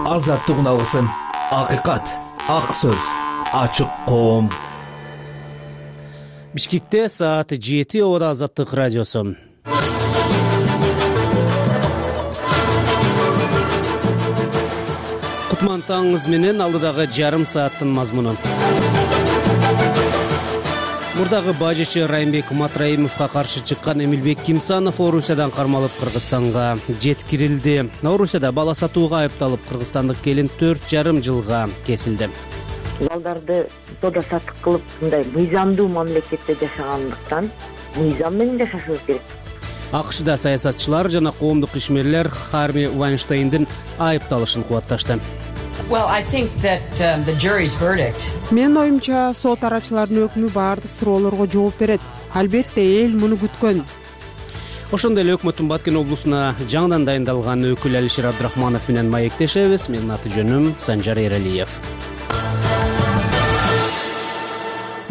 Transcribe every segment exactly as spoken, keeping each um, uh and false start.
Азаттык алгысым, акыйкат, ак сөз, ачык коом. Бишкекте саат жети, Ода Азаттык радиосу. Кутман таңыңыз менен алдыдагы жарым сааттын мазмуну. Мурдагы бажычы Райымбек Матраимовго каршы чыккан Эмилбек Кимсанов Орусиядан кармалып Кыргызстанга жеткирилди. Орусияда бала сатууга айыпталып кыргызстандык келин төрт жарым жылга кесилди. Балдарды тода сатык кылып мындай мыйзамдуу мамлекетте жашагандыктан мыйзам менен жашашыбыз керек. АКШда саясатчылар жана коомдук ишмерлер Харви Вайнштейндин айыпталышын кубатташты. Well, I think that um, the jury's verdict. Менин оюмча, сот арачыларынын өкмү баардык суроолорго жооп берет. Албетте эл муну күткөн. Ошондой эле өкмөттүн Баткен облусуна жаңыдан дайындалган өкүл Алишер Абдрахманов менен маектешебиз. Менин аты жөнүм Санжар Эралиев.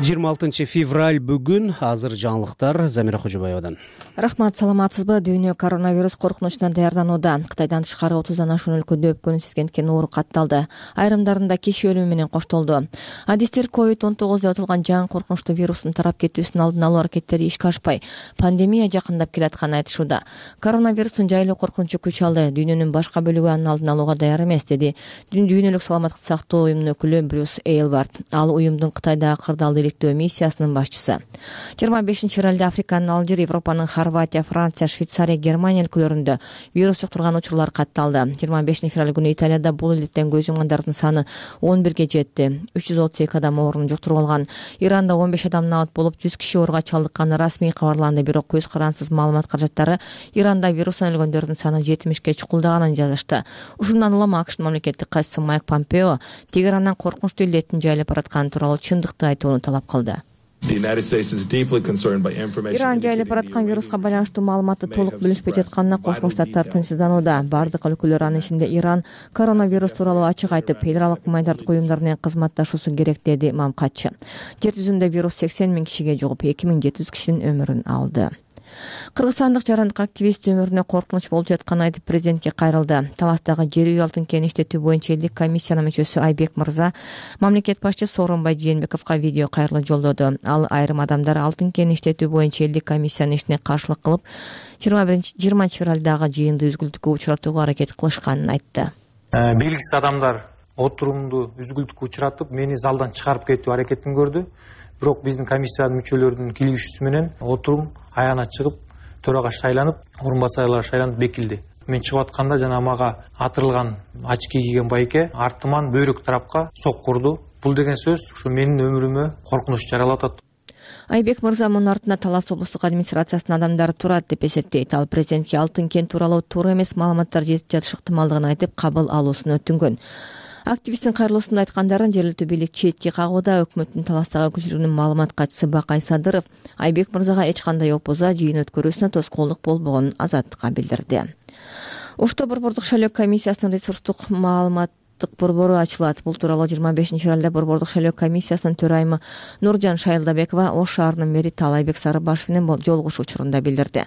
жыйырма алтынчы февраль бүгүн. Азыр жаңылыктар Замира Кожобаевадан. Рахмат, саламатсызбы? Дүйнө коронавирус коркунучуна даярданууда. Кытайдан тышкары отуздан ашуун өлкөдө өпкөнү сезгендкен оору катталды. Айрымдарында киши өлүмү менен коштолду. Адистер ковид он тогуз деп аталган жаңы коркунучтуу вирустун тарап кетүүсүнүн алдын алуу аракеттери ишке ашпай, пандемия жакындап келатканын айтышууда. Коронавирустун жайлуу коркунучу күч алды. Дүйнөнүн башка бөлүгү анын алдын алууга даяр эмес, деди Дүйнөлүк саламаттык сактоо уюмунун өкүлү Брюс Эйлвард. Ал уюмдун Кытайдагы кырдаалды иликтөө миссиясынын башчысы. жыйырма бешинчи февралда Африканын Алжир, Европанын Хорватия, Франция, Швейцария, Германия өлкөлөрүндө вирус жуктурган учурлар катталды. жыйырма бешинчи февраль күнү Италияда бул иликтен көз жумгандардын саны он бирге жетти. үч жүз отуз эки адам оорууну жуктуруп алган. Иранда он беш адам набат болуп, жүз киши ооруга чалдыкканы расмий кабарланды. Бирок көз карансыз маалымат каражаттары Иранда вирустан өлгөндөрдүн саны жетимишке чукулдаганын жазышты. Ушундан улам АКШнын мамлекеттик катчысы Майк Помпео Тегерандан коркунучтуу илдеттин жайылып баратканы тууралуу чындыкты айтууну талап кылды. Иран жайылып бараткан вируска байланыштуу маалыматты толук билишпей жатканына Кошмо Штаттар тынчсызданууда. Бардык өлкөлөр, анын ичинде Иран, коронавирус тууралуу ачык айтып, федералдык гуманитардык уюмдар менен кызматташуусу керек, деди мамкатчы. Жер жүзүндө вирус сексен миң кишиге жугуп, эки миң жети жүз кишинин өмүрүн алды. Кыргызстандык жарандык активист өмүрүнө коркунуч болуп жатканын айтып, президентке кайрылды. Таластагы жер үй алтын кен иштетүү боюнча элдик комиссиянын мүчөсү Айбек Мырза мамлекет башчысы Сооронбай Жээнбековго видео кайрылуу жолдоду. Ал айрым адамдар алтын кен иштетүү боюнча элдик комиссиянын ишине каршылык кылып, жыйырманчы февралдагы жыйынды үзгүлтүккө учуратууга аракет кылышканын айтты. Белгисиз адамдар отурумду үзгүлтүккө учуратып, мени залдан чыгарып кетүү аракетин көрдү. Бирок биздин комиссиянын мүчөлөрүнүн кийлигишүүсү менен отурум аягына чыгып, төрага шайланып, орун басарлар шайланып бекилди. Мен чыгып атканда жана мага атырылган очки кийген байке артыман бөйрөк тарапка сок урду. Бул деген сөз ушу менин өмүрүмө коркунуч жаралап атат. Айбек Мырза мунун артында Талас облустук администрациясынын адамдары турат деп эсептейт. Ал президентке алтын кен тууралуу туура эмес маалыматтар жетип жатышы ыктымалдыгын айтып, кабыл алуусун өтүнгөн. Активисттин кайрылуусунда айткандарын жергиликтүү бийлик четке кагууда. Өкмөттүн Таластагы өкүлчүлүгүнүн маалымат катчысы Бакай Садыров Айбек Мырзага эч кандай опуза жыйын өткөрүүсүнө тоскоолдук болбогонун Азаттыкка билдирди. Ошто Борбордук шайлоо комиссиясынын ресурстук маалымат борбору ачылат. Бул тууралуу жыйырма бешинчи февралда Борбордук шайлоо комиссиясынын төрайымы Нуржан Шайлдабекова Ош шаарынын мэри Таалайбек Сарыбашев менен жолугушуу учурунда билдирди.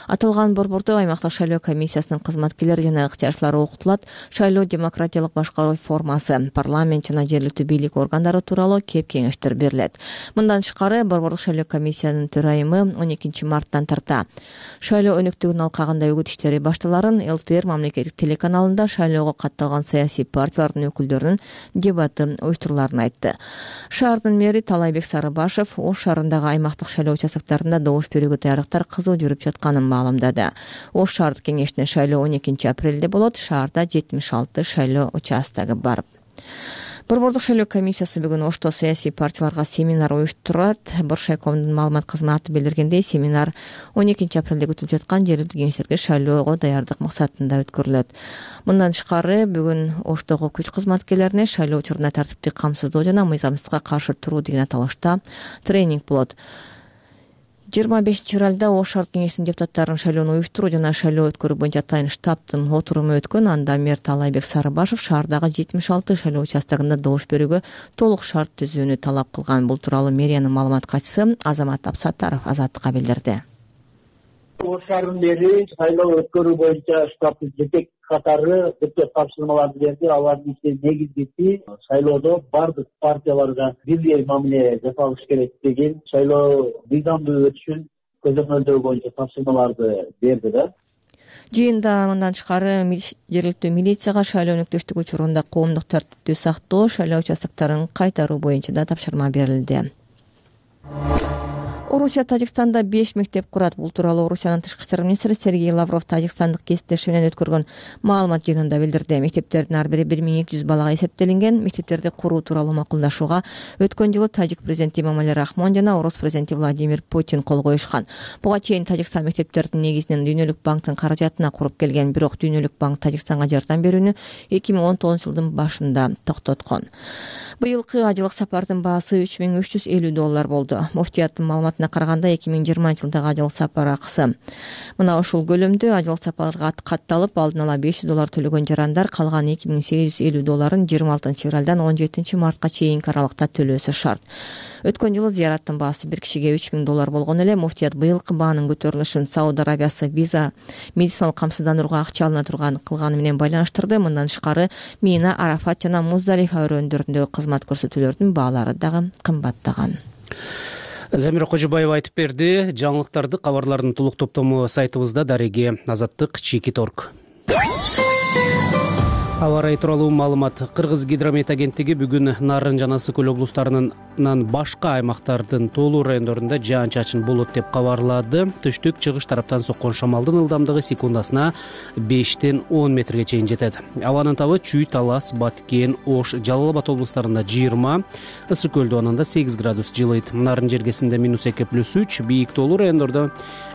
Аталган борбордо аймактык шайлоо комиссиясынын кызматкерлери жана ыктыярчылары окутулат. Шайлоо демократиялык башкаруу формасы, парламент жана жергиликтүү бийлик органдары тууралуу кеп кеңештер берилет. Мындан тышкары Борбордук шайлоо комиссиянын төрайымы он экинчи марттан тарта шайлоо өнөктүгүнүн алкагында үгүт иштери башталарын эл тэ эр мамлекеттик телеканалында шайлоого катталган саясий партиялар өкүлдөрүнүн дебаты уюштуруларын айтты. Шаардын мэри Таалайбек Сарыбашев Ош шаарындагы аймактык шайлоо участоктарында добуш берүүгө даярдыктар кызуу жүрүп жатканын маалымдады. Ош шаардык кеңешине шайлоо он экинчи апрелде болот. Шаарда жетимиш алты шайлоо участогу бар. Борбордук шайлоо комиссиясы бүгүн Ошто саясий партияларга семинар уюштурат. Боршайковдун маалымат кызматы билдиргендей, семинар он экинчи апрелде күтүлүп жаткан жергиликтүү кеңештерге шайлоого даярдык максатында өткөрүлөт. Мындан тышкары бүгүн Оштогу күч кызматкерлерине шайлоо учурунда тартиптик камсыздоо жана мыйзамсыздыкка каршы туруу деген аталышта тренинг болот. жыйырма бешинчи февралда Ош шаар кеңешинин депутаттарын шайлоону уюштуруу жана шайлоо өткөрүү боюнча атайын штабтын отуруму өткөн. Анда мэр Таалайбек Сарыбашев шаардагы жетимиш алты шайлоо участогунда добуш берүүгө толук шарт түзүүнү талап кылган. Бул тууралуу мэриянын маалымат катчысы Азамат Абсаттаров Азаттыкка билдирди. Ош шаарынан бери шайлоо өткөрүү боюнча штабтын жетек катары депутат тапшырмаларды берди. Алардын ичинде негизгиси шайлоодо бардык партияларга бирдей мамиле жасалыш керек деген шайлоо мыйзамдуу өтүшүн көзөмөлдөө боюнча тапшырмаларды берди да. Жыйында мындан тышкары жергиликтүү милицияга шайлоо өнөктөштүгү учурунда коомдук тартипти сактоо, шайлоо участокторун кайтаруу боюнча да тапшырма берилди. Орусия Тажикстанда беш мектеп курат. Бул тууралуу Орусиянын тышкы иштер министри Сергей Лавров тажикстандык кесиптеши менен өткөргөн маалымат жыйынында билдирди. Мектептердин ар бири бир миң эки жүз балага эсептелинген. Мектептерди куруу тууралуу макулдашууга өткөн жылы тажик президенти Эмомали Рахмон жана орус президенти Владимир Путин кол коюшкан. Буга чейин Тажикстан мектептердин негизинен Дүйнөлүк банктын каражатына куруп келген, бирок Дүйнөлүк банк Тажикстанга жардам берүүнү эки миң он тогузунчу жылдын башында токтоткон. Быйылкы ажылык сапардын баасы үч миң үч жүз элүү доллар болду. Муфтияттын маалыматына караганда эки миң жыйырманчы жылдагы ажылык сапар акысы мына ушул көлөмдө. Ажылык сапарга катталып алдын ала беш жүз доллар төлөгөн жарандар калган эки миң сегиз жүз элүү долларын жыйырма алтынчы февралдан он жетинчи мартка чейинки аралыкта төлөөсү шарт. Өткөн жылы зыяраттын баасы бир кишиге үч миң доллар болгон эле. Муфтият быйылкы баанын көтөрүлүшүн Сауд Арабиясы виза медициналык камсыздандырууга акча алына турган кылганы менен байланыштырды. Мындан тышкары Мина, Арафат жана Муздалифа өрөөндөрүндөгү кызмат көрсөтүүлөрдүн баалары дагы кымбаттаган. Замира Кожобаева айтып берди. Жаңылыктарды, кабарлардын толук топтому сайтыбызда. Дареги Азаттык Чекит точка орг. Аба ырайы тууралуу маалымат. Кыргыз гидромет агенттиги бүгүн Нарын жана Ысык көл облустарынын башка аймактардын тоолуу райондорунда жаан-чачын болот деп кабарлады. Түштүк чыгыш тараптан соккон шамалдын ылдамдыгы секундасына бештен он метрге чейин жетет. Абанын табы Чүй, Талас, Баткен, Ош, Жалал Абад облустарында жыйырма, Ысык көлдө ананда сегиз градус жылыйт. Нарын жергесинде минус эки плюс үч, бийик тоолуу райондордо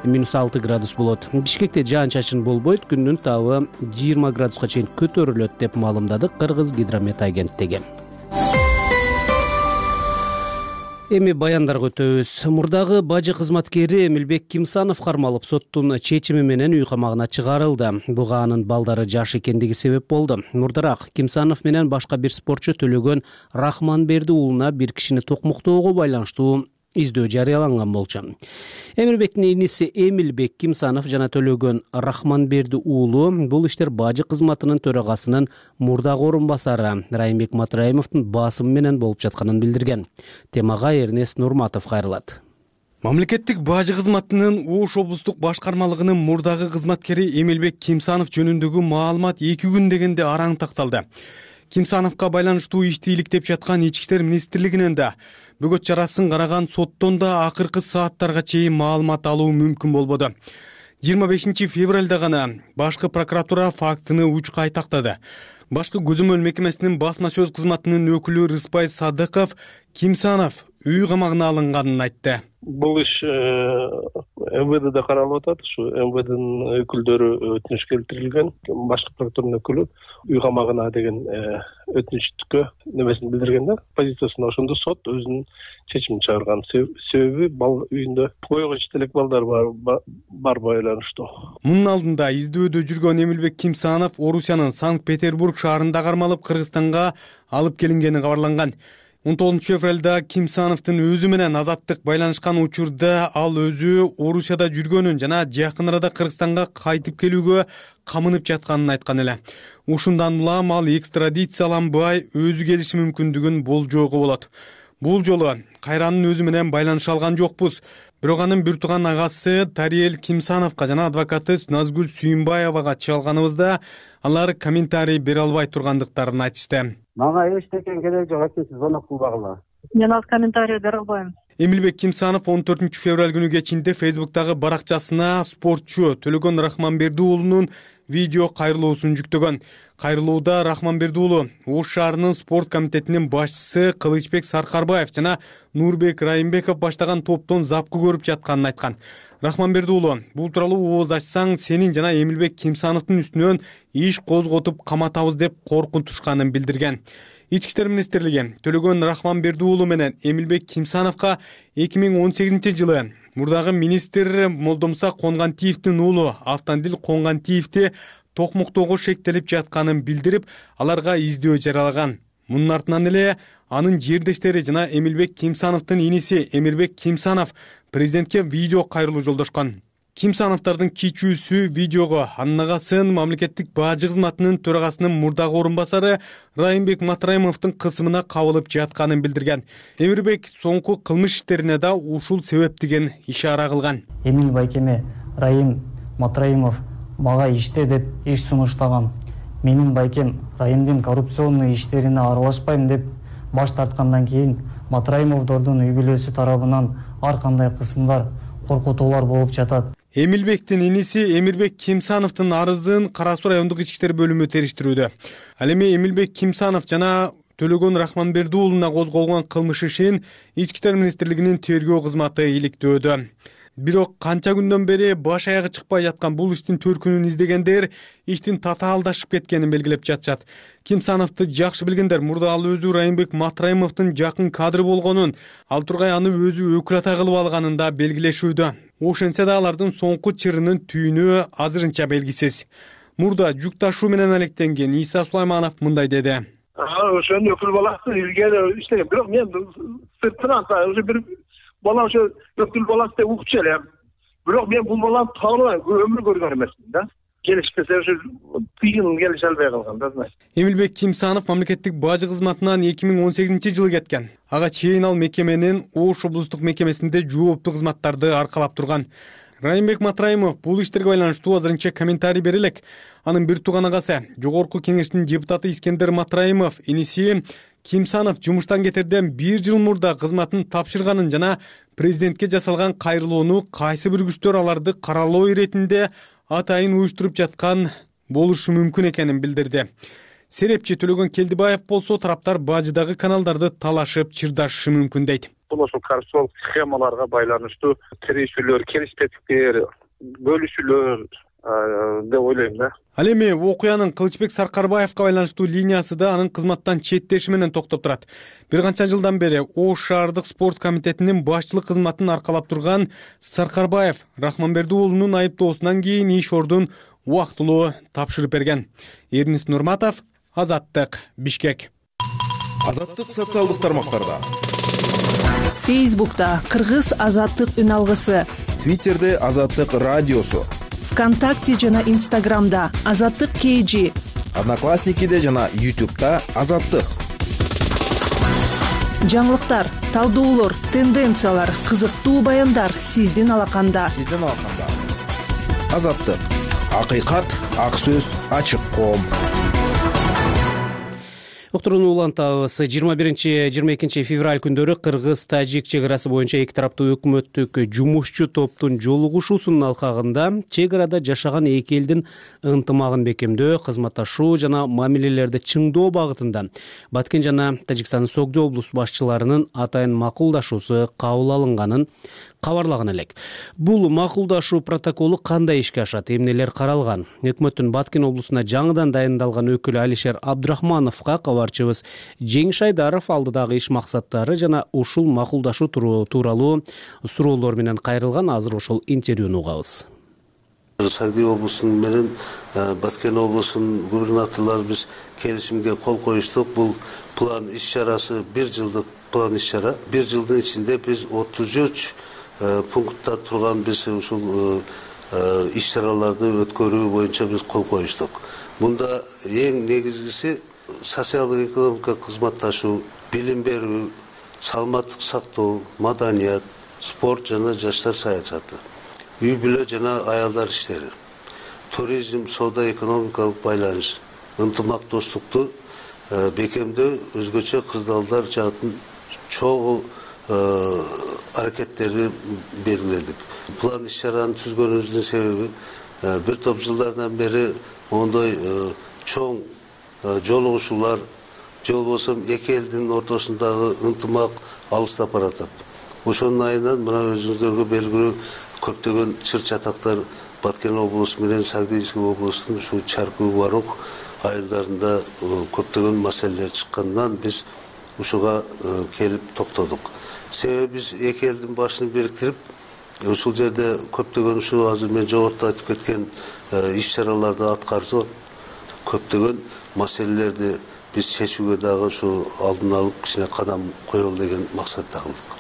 минус алты градус болот. Бишкекте жаан-чачын болбойт, күндүн табы жыйырма градуска чейин көтөрүлөт деп маалымдады Кыргыз гидромет агенттиги. Эми баяндарга өтөбүз. Мурдагы бажы кызматкери Эмилбек Кимсанов кармалып соттун чечими менен үй камагына чыгарылды. Буга анын балдары жаш экендиги себеп болду. Мурдараак Кимсанов менен башка бир спортчу Төлөгөн Рахманберди уулуна бир кишини токмуктоого байланыштуу издөө жарыяланган болчу. Эмирбектин иниси Эмилбек Кимсанов жана Төлөгөн Рахманберди уулу бул иштер бажы кызматынын төрагасынын мурдагы орун басары Райымбек Матраимовдун басымы менен болуп жатканын билдирген. Темага Эрнест Нурматов кайрылат. Мамлекеттик бажы кызматынын Ош облустук башкармалыгынын мурдагы кызматкери Эмилбек Кимсанов жөнүндөгү маалымат эки күн дегенде араң такталды. Кимсановго байланыштуу ишти иликтеп жаткан Ички иштер министрлигинен да бөгөт чарасын караган соттон да акыркы сааттарга чейин маалымат алуу мүмкүн болбоду. жыйырма бешинчи февралда гана башкы прокуратура фактыны учкай тактады. Башкы көзөмөл мекемесинин басма сөз кызматынын өкүлү Рыспай Садыков Кимсанов үй камагына алынганын айтты. Бул иш МВДде каралып атат. Ушу МВДнын өкүлдөрү өтүнүш келтирилген. Башкы прокуратуранын өкүлү үй камагына деген өтүнүчкө немесин билдирген да. Позициясын ошондо сот өзүнүн чечимин чыгарган. Себеби бал үйүндө койгоч телек балдар бар бар байланыштуу. Мунун алдында издөөдө жүргөн Эмилбек Кимсанов Орусиянын Санкт-Петербург шаарында кармалып Кыргызстанга алып келингени кабарланган. он тогузунчу февралда Кимсановдун өзү менен Азаттык байланышкан учурда ал өзү Орусияда жүргөнүн жана жакын арада Кыргызстанга кайтып келүүгө камынып жатканын айткан эле. Ушундан улам ал экстрадицияланбай өзү келиши мүмкүндүгүн болжоого болот. Бул жолу кайранын өзү менен байланыша алган жокпуз. Бирок анын бир тууган агасы Тариел Кимсановго жана адвокаты Назгүл Сүйүнбаевага чалганыбызда алар комментарий бере албай тургандыктарын айтышты. Мага эчтекен керек жок, сиз звонок кылбагыла. Мен ал комментарий бере албайм. Эмилбек Кимсанов он төртүнчү февраль күнү кечинде Фейсбуктагы баракчасына спортчу Төлөгөн Рахманберди уулунун видео кайрылуусун жүктөгөн. Кайрылууда Рахманберди уулу Ош шаарынын спорт комитетинин башчысы Кылычбек Саркарбаев жана Нурбек Райымбеков баштаган топтон запкы көрүп жатканын айткан. Рахманберди уулу бул тууралуу ооз ачсаң сенин жана Эмилбек Кимсановдун үстүнөн иш козготуп каматабыз деп коркунтушканын билдирген. Ички иштер министрлиги Төлөгөн Рахманберди уулу менен Эмилбек Кимсановго эки миң он сегизинчи жылы мурдагы министр Молдомса Конгантиевдин уулу Автандил Конгантиевди токмуктоого шектелип жатканын билдирип, аларга издөө жарыялаган. Мунун артынан эле анын жердештери жана Эмилбек Кимсановдун иниси Эмирбек Кимсанов президентке видео кайрылуу жолдошкон. Кимсановдордун кичүүсү видеого анын агасын мамлекеттик бажы кызматынын төрагасынын мурдагы орун басары Райымбек Матраимовдун кысымына кабылып жатканын билдирген. Эмирбек соңку кылмыш иштерине да ушул себептиген ишара кылган. Эмил байкеме Райым Матраимов мага иште деп иш сунуштаган. Менин байкем Райымдын коррупционный иштерине аралашпайм деп баш тарткандан кийин Матраимовдордун үй бүлөсү тарабынан ар кандай кысымдар, коркутуулар болуп жатат. Эмилбектин иниси Эмирбек Кимсановдун арызын Кара Суу райондук ички иштер бөлүмү териштирүүдө. Ал эми Эмилбек Кимсанов жана Төлөгөн Рахманберди уулуна козголгон кылмыш ишин Ички иштер министрлигинин тергөө кызматы иликтөөдө. Бирок канча күндөн бери баш аягы чыкпай жаткан бул иштин төркүнүн издегендер иштин татаалдашып кеткенин белгилеп жатышат. Кимсановду жакшы билгендер мурда ал өзү Райымбек Матраимовдун жакын кадры болгонун, ал тургай аны өзү өкүл ата кылып алганын да белгилешүүдө. Ошентсе да алардын соңку чырынын түйүнү азырынча белгисиз. Мурда жүк ташуу менен алектенген Иса Сулайманов мындай деди. Ошону өкүл баласы илгери иштеген, бирок мен сыртынан уже бир бала ошо өкүл баласы деп угуп элем. Бирок мен бул баланы тааныбайм, өмүр көргөн эмесмин да. Келишпесе ошо тыйын келише албай калган да. Эмилбек Кимсанов мамлекеттик бажы кызматынан эки миң он сегизинчи жылы кеткен. Ага чейин ал мекеменин Ош облустук мекемесинде жооптуу кызматтарды аркалап турган. Райымбек Матраимов бул иштерге байланыштуу азырынча комментарий бере элек. Анын бир тууган агасы, Жогорку кеңештин депутаты Искендер Матраимов иниси Кимсанов жумуштан кетерден бир жыл мурда кызматын тапшырганын жана президентке жасалган кайрылууну кайсы бир күчтөр аларды каралоо иретинде атайын уюштуруп жаткан болушу мүмкүн экенин билдирди. Серепчи Төлөгөн Келдибаев болсо тараптар бажыдагы каналдарды талашып чырдашышы мүмкүн дейт. Бул ошол коррупциялык схемаларга байланыштуу тирешүүлөр, келиспестиктер, бөлүшүүлөр деп ойлойм да. Ал эми окуянын Кылычбек Саркарбаевга байланыштуу линиясы да анын кызматтан четтеши менен токтоп турат. Бир канча жылдан бери Ош шаардык спорт комитетинин башчылык кызматын аркалап турган Саркарбаев Рахманберди уулунун айыптоосунан кийин иш ордун убактылуу тапшырып берген. Эрнис Нурматов, Азаттык, Бишкек. Азаттык социалдык тармактарда. Фейсбукта Кыргыз Азаттык үн алгысы. Твиттерде Азаттык радиосу. ВКонтакте жана Инстаграмда Азаттык кей жи. Одноклассникиде жана Ютубта Азаттык. Жаңылыктар, талдоолор, тенденциялар, кызыктуу баяндар сиздин алаканда. Сиздин алаканда. Азаттык. Акыйкат, ак сөз, ачык коом. Уктурууну улантабыз. жыйырма биринчи жыйырма экинчи февраль күндөрү Кыргыз-Тажик чек арасы боюнча эки тараптуу өкмөттүк жумушчу топтун жолугушуусунун алкагында чек арада жашаган эки элдин ынтымагын бекемдөө, кызматташуу жана мамилелерди чыңдоо багытында Баткен жана Тажикстандын Согдо облус башчыларынын атайын макулдашуусу кабыл алынганын кабарлаган элек. Бул макулдашуу протоколу кандай ишке ашат, эмнелер каралган? Өкмөттүн Баткен облусуна жаңыдан дайындалган өкүлү Алишер Абдрахмановго кабарчыбыз Жеңиш Айдаров алдыдагы иш максаттары жана ушул макулдашуу тууралуу суроолор менен кайрылган. Азыр ошол интервьюну угабыз. Сагдый облусунун менен Баткен облусунун губернаторлору биз келишимге кол коюштук. Бул план иш чарасы бир жылдык план иш чара. бир жылдын ичинде биз отуз үч пунктта турган биз ушул иш чараларды өткөрүү боюнча биз кол коюштук. Мында эң негизгиси социалдык экономикалык кызматташуу, билим берүү, саламаттык сактоо, маданият, спорт жана жаштар саясаты, үй бүлө жана аялдар иштери, туризм, соода экономикалык байланыш, ынтымактоштукту бекемдөө, өзгөчө кырдаалдар жаатын чогуу аракеттерди белгиледик. План иш чараны түзгөнүбүздүн себеби бир топ жылдардан бери мондой чоң жолугушуулар, же болбосо эки элдин ортосундагы ынтымак алыстап баратат. Ошонун айынан мына өзүңүздөргө белгилүү көптөгөн чыр чатактар Баткен облусу менен Сагдыйский облустун ушу Чаркуу Барук айылдарында көптөгөн маселелер чыккандан биз ушуга келип токтодук. Себеби биз эки элдин башын бириктирип, ушул жерде көптөгөн ушу азыр мен жогоруда айтып кеткен иш чараларды аткарсак, көптөгөн маселелерди биз чечүүгө дагы ушу алдын алып кичине кадам коелу деген максатта кылдык.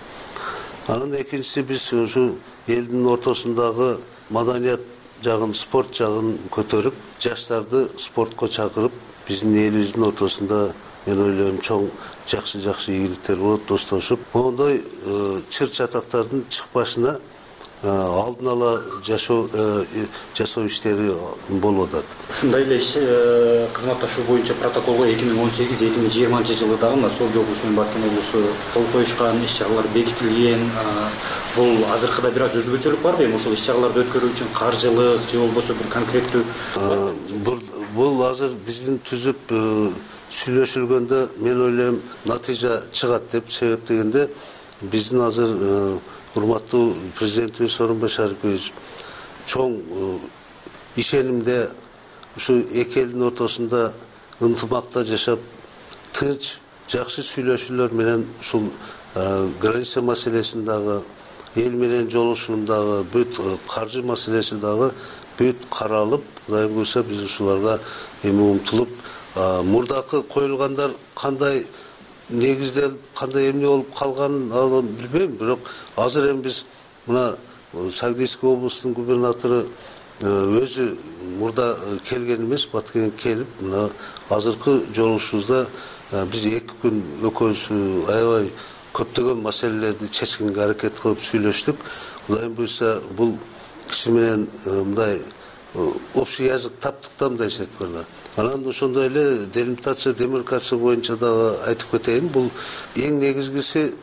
Анын экинчиси биз ушу элдин ортосундагы маданият жагын, спорт жагын көтөрүп, жаштарды спортко чакырып, биздин элибиздин ортосунда мен ойлойм чоң жакшы жакшы ийгиликтер болот, достошуп. Мондой чыр чатактардын чыкпашына алдын ала жашоо жасоо иштери болуп атат. Ушундай эле кызматташуу боюнча протоколго эки миң он сегиз эки миң жыйырманчы жылы дагы мына Сооқ облусу менен Баткен облусу кол коюшкан, иш-чаралар бекитилген. Бул азыркыда бир аз өзгөчөлүк барбы? Эми ошол иш-чараларды өткөрүү үчүн каржылык же болбосо бир конкреттүү бул азыр биздин түзүп сүйлөшүлгөндө мен ойлойм натыйжа чыгат деп. Себеп дегенде биздин азыр урматтуу президентибиз Сооронбай Шарипович чоң ишенимде ушу эки элдин ортосунда ынтымакта жашап, тынч, жакшы сүйлөшүүлөр менен ушул граница маселесин дагы, эл менен жолугушууну дагы, бүт каржы маселеси дагы бүт каралып, Кудайым буйрса биз ушуларга эми умтулуп, мурдакы коюлгандар кандай негизделип, кандай эмне болуп калганын ал билбейм, бирок азыр эми биз мына Сагдийский облустун губернатору өзү мурда келген эмес, Баткенге келип, мына азыркы жолугушуубузда биз эки күн экөөбүз аябай көптөгөн маселелерди чечкенге аракет кылып сүйлөштүк. Кудайым буйрса бул киши менен мындай общий язык таптык да, мындайча айтканда. Анан ошондой эле делимитация, демаркация боюнча дагы айтып кетейин. Бул эң негизгиси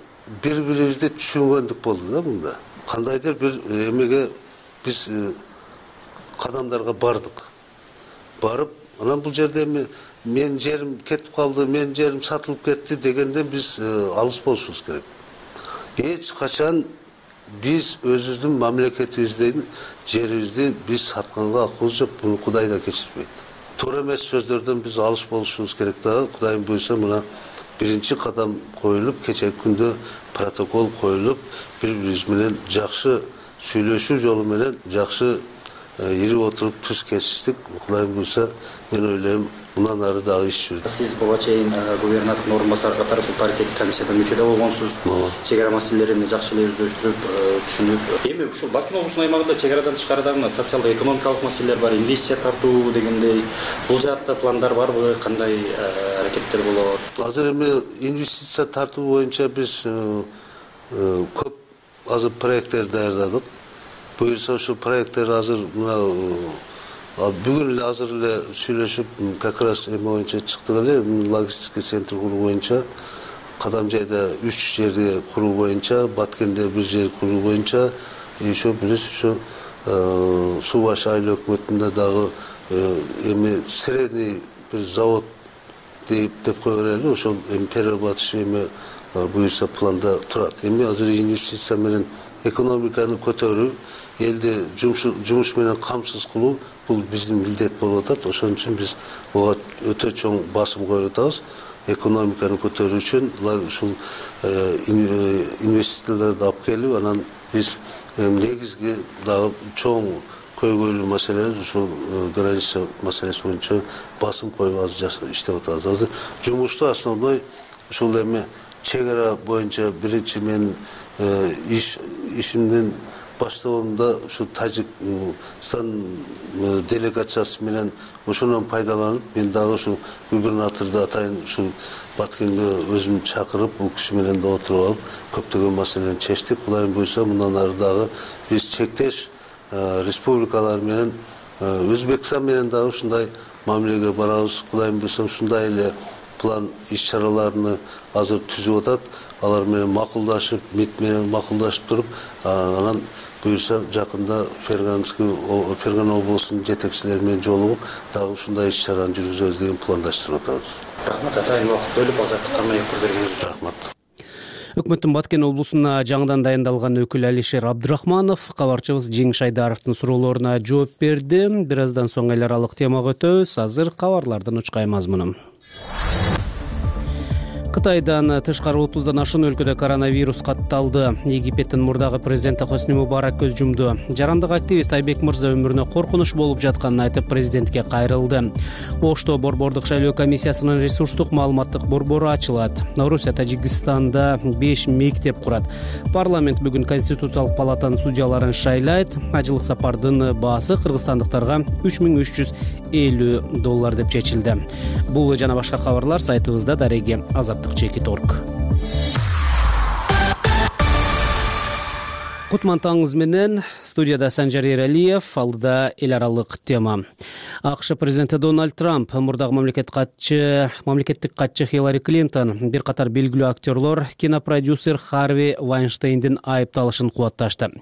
бири-бирибизди түшүнгөндүк болду да мында. Кандайдыр бир эмеге биз кадамдарга бардык. Барып, анан бул жерде эми мен жерим кетип калды, мен жерим сатылып кетти дегенден биз алыс болушубуз керек. Эч качан биз өзүбүздүн мамлекетибиздин жерибизди биз сатканга акыбыз жок, буну Кудай да кечирбейт. Туура эмес сөздөрдөн биз алыс болушубуз керек дагы. Кудайым буйрса мына биринчи кадам коюлуп, кечеги күндө протокол коюлуп, бири-бирибиз менен жакшы сүйлөшүү жолу менен жакшы ирип отуруп түз кесиштик. Кудайым буйрса мен ойлойм мындан ары дагы иш жүрөт. Сиз буга чейин губернатордун орун басары катары ушул паритеттик комиссияда мүчө да болгонсуз. Чек ара маселелерин жакшы эле өздөштүрүп, түшүнүп. Эми ушул Баткен облусунун аймагында чек арадан тышкарыда социалдык экономикалык маселелер бар, инвестиция тартуу дегендей. Бул жаатта пландар барбы, кандай аракеттер болот? Азыр эми инвестиция тартуу боюнча биз көп азыр проекттер даярдадык. Буюрса ушул проекттер азыр мына бүгүн эле азыр эле сүйлөшүп, как раз эме боюнча чыктык эле, логистика центр куруу боюнча, Кадамжайда үч жерди куруу боюнча, Баткенде бир жер куруу боюнча, еще биз ушу Суу баш айыл өкмөтүндө дагы эми средний бир завод деп деп кое берели, ошол эми перерабатывающий эме буюрса планда турат. Эми азыр инвестиция менен экономиканы көтөрүү, элди жумуш менен камсыз кылуу бул биздин милдет болуп атат. Ошон үчүн биз буга өтө чоң басым коюп атабыз. Экономиканы көтөрүү үчүн ушул инвестицияларды алып келип, анан биз негизги дагы чоң көйгөйлүү маселелер ушул граница маселеси боюнча басым коюп азыр иштеп атабыз. Азыр жумушту основной ушул эми чек ара боюнча биринчи мен иш ишимдин баштоонунда ушу Тажикстан делегациясы менен ошондон пайдаланып, мен дагы ушу губернаторду атайын ушу Баткенге өзүм чакырып, бул киши менен да отуруп алып, көптөгөн маселени чечтик. Кудайым буйрса мындан ары дагы биз чектеш республикалар менен, Өзбекстан менен дагы ушундай мамилеге барабыз. Кудайым буйрса ушундай эле план иш-чараларны азыр түзүп атат. Алар менен макулдашып, МИД менен макулдашып туруп, анан буйрса жакында Фергана облусунун жетекчилери менен жолугуп, дагы ушундай иш-чараны жүргүзөбүз деген пландаштырып атабыз. Рахмат, атайын убакыт бөлүп азаттыкка маек бергениңиз үчүн. Рахмат. Өкмөттүн Баткен облусуна жаңыдан дайындалган өкүл Алишер Абдрахманов кабарчыбыз Жеңиш Айдаровдун суроолоруна жооп берди. Бир аздан соң эл аралык темага өтөбүз. Азыр кабарлардын учкай мазмуну. Кытайдан тышкары отуздан ашуун өлкөдө коронавирус катталды. Египеттин мурдагы президенти Хосни Мубарак көз жумду. Жарандык активист Айбек Мырза өмүрүнө коркунуч болуп жатканын айтып президентке кайрылды. Ошто Борбордук шайлоо комиссиясынын ресурстук маалыматтык борбору ачылат. Орусия Тажикстанда беш мектеп курат. Парламент бүгүн Конституциялык палатанын судьяларын шайлайт. Ажылык сапардын баасы кыргызстандыктарга үч миң үч жүз элүү доллар деп чечилди. Бул жана башка кабарлар сайтыбызда дареги азаттык чекит орг. Кутман таңыңыз менен студияда Санжар Эралиев, алдыда эл аралык тема. АКШ президенти Дональд Трамп, мурдагы мамлекет катчы, мамлекеттик катчы Хиллари Клинтон, бир катар белгилүү актерлор кинопродюсер Харви Вайнштейндин айыпталышын кубатташты.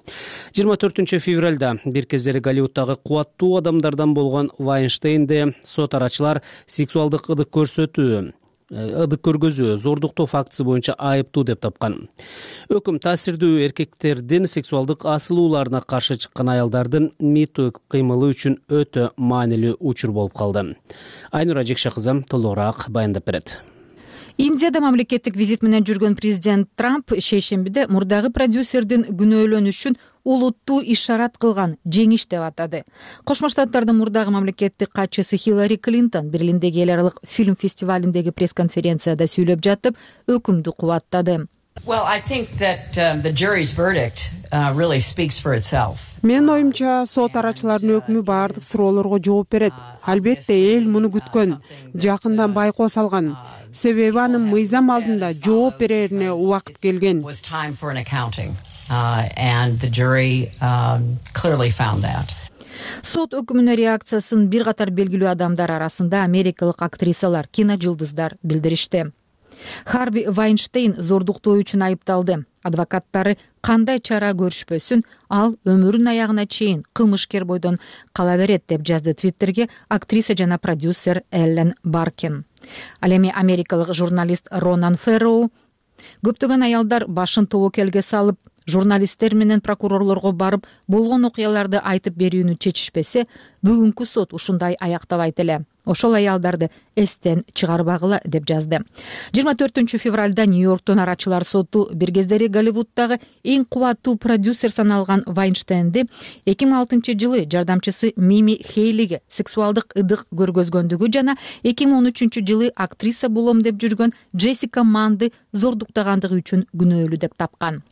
жыйырма төртүнчү февралда бир кездери Голливуддагы кубаттуу адамдардан болгон Вайнштейнди сот арачылар сексуалдык ыдык көрсөтүү ыдык көргөзүү, зордуктоо фактысы боюнча айыптуу деп тапкан. Өкүм таасирдүү эркектердин сексуалдык асылууларына каршы чыккан аялдардын миту кыймылы үчүн өтө маанилүү учур болуп калды. Айнура Жекше кызы толугураак баяндап берет. Индияда мамлекеттик визит менен жүргөн президент Трамп шейшембиде мурдагы продюсердин күнөөлөнүшүн улуттуу ишарат кылган жеңиш деп атады. Кошмо Штаттардын мурдагы мамлекеттик катчысы Хиллари Клинтон Берлиндеги эл аралык фильм фестивалиндеги пресс-конференцияда сүйлөп жатып, өкүмдү кубаттады. Well, I think that um, the jury's verdict uh, really speaks for itself. Менин оюмча, сот арачыларынын өкүмү баардык суроолорго жооп берет. Албетте эл муну күткөн, жакындан байкоо салган. Себеби анын мыйзам алдында жооп берерине убакыт келген. Uh, and the jury um, clearly found that. Сот өкүмүнө реакциясын бир катар белгилүү адамдар арасында америкалык актрисалар, киножулдуздар билдиришти. Харви Вайнштейн зордуктоо үчүн айыпталды. Адвокаттары кандай чара көрүшпөсүн, ал өмүрүнүн аягына чейин кылмышкер бойдон кала берет деп жазды Твиттерге актриса жана продюсер Эллен Баркен. Ал эми америкалык журналист Ронан Ферроу көптөгөн аялдар башын тобокелге салып, журналисттер менен прокурорлорго барып болгон окуяларды айтып берүүнү чечишпесе, бүгүнкү сот ушундай аяктабайт эле. Ошол аялдарды эстен чыгарбагыла деп жазды. жыйырма төртүнчү февралда Нью-Йорктон арачылар соту бир кездери Голливуддагы эң кубаттуу продюсер саналган Вайнштейнди эки миң алтынчы жылы жардамчысы Мими Хейлиге сексуалдык ыдык көргөзгөндүгү жана эки миң он үчүнчү жылы актриса болом деп жүргөн Джессика Манды зордуктагандыгы үчүн күнөөлүү деп тапкан.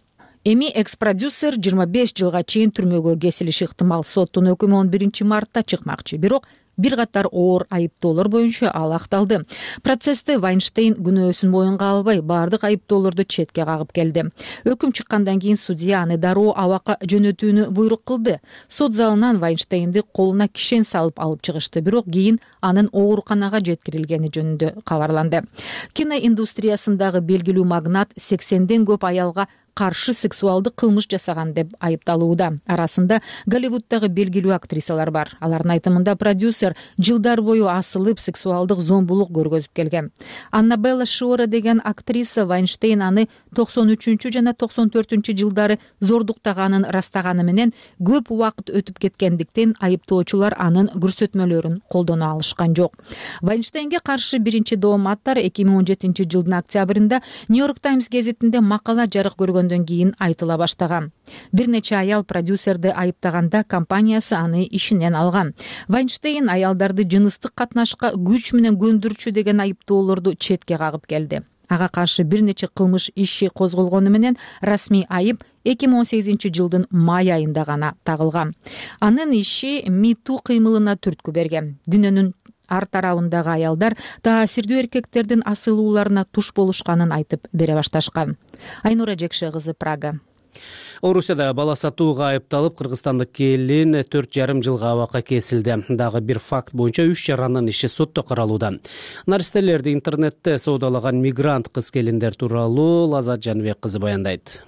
Эми экс-продюсер жыйырма беш жылга чейин түрмөгө кесилиши ыктымал. Соттун өкүмү он биринчи мартта чыкмакчы, бирок бир катар оор айыптоолор боюнча ал акталды. Процессте Вайнштейн күнөөсүн моюнга албай, баардык айыптоолорду четке кагып келди. Өкүм чыккандан кийин судья аны дароо абакка жөнөтүүнү буйрук кылды. Сот залынан Вайнштейнди колуна кишен салып алып чыгышты, бирок кийин анын ооруканага жеткирилгени жөнүндө кабарланды. Киноиндустриясындагы белгилүү магнат сексенден көп аялга каршы сексуалдык кылмыш жасаган деп айыпталууда. Арасында Голливуддагы белгилүү актрисалар бар. Алардын айтымында продюсер жылдар бою асылып сексуалдык зомбулук көргөзүп келген. Аннабелла Шиора деген актриса Вайнштейн аны токсон үчүнчү жана токсон төртүнчү жылдары зордуктаганын растаганы менен көп убакыт өтүп кеткендиктен айыптоочулар анын көрсөтмөлөрүн колдоно алышкан жок. Вайнштейнге каршы биринчи дооматтар эки миң он жетинчи жылдын октябрында Нью-Йорк Таймс гезитинде макала жарык көргөн кийин айтыла баштаган. Бир нече аял продюсерди айыптаганда компаниясы аны ишинен алган. Вайнштейн аялдарды жыныстык катнашка күч менен көндүрчү деген айыптоолорду четке кагып келди. Ага каршы бир нече кылмыш иши козголгону менен расмий айып эки миң он сегизинчи жылдын май айында гана тагылган. Анын иши миту кыймылына түрткү берген. Дүйнөнүн ар тарабындагы аялдар таасирдүү эркектердин асылууларына туш болушканын айтып бере башташкан. Айнура Жекше кызы, Прага. Орусияда бала сатууга айыпталып, кыргызстандык келин төрт жарым жылга абакка кесилди. Дагы бир факт боюнча үч жаранын иши сотто каралууда. Наристелерди интернетте соодалаган мигрант кыз келиндер тууралуу Лазат Жаныбек кызы баяндайт.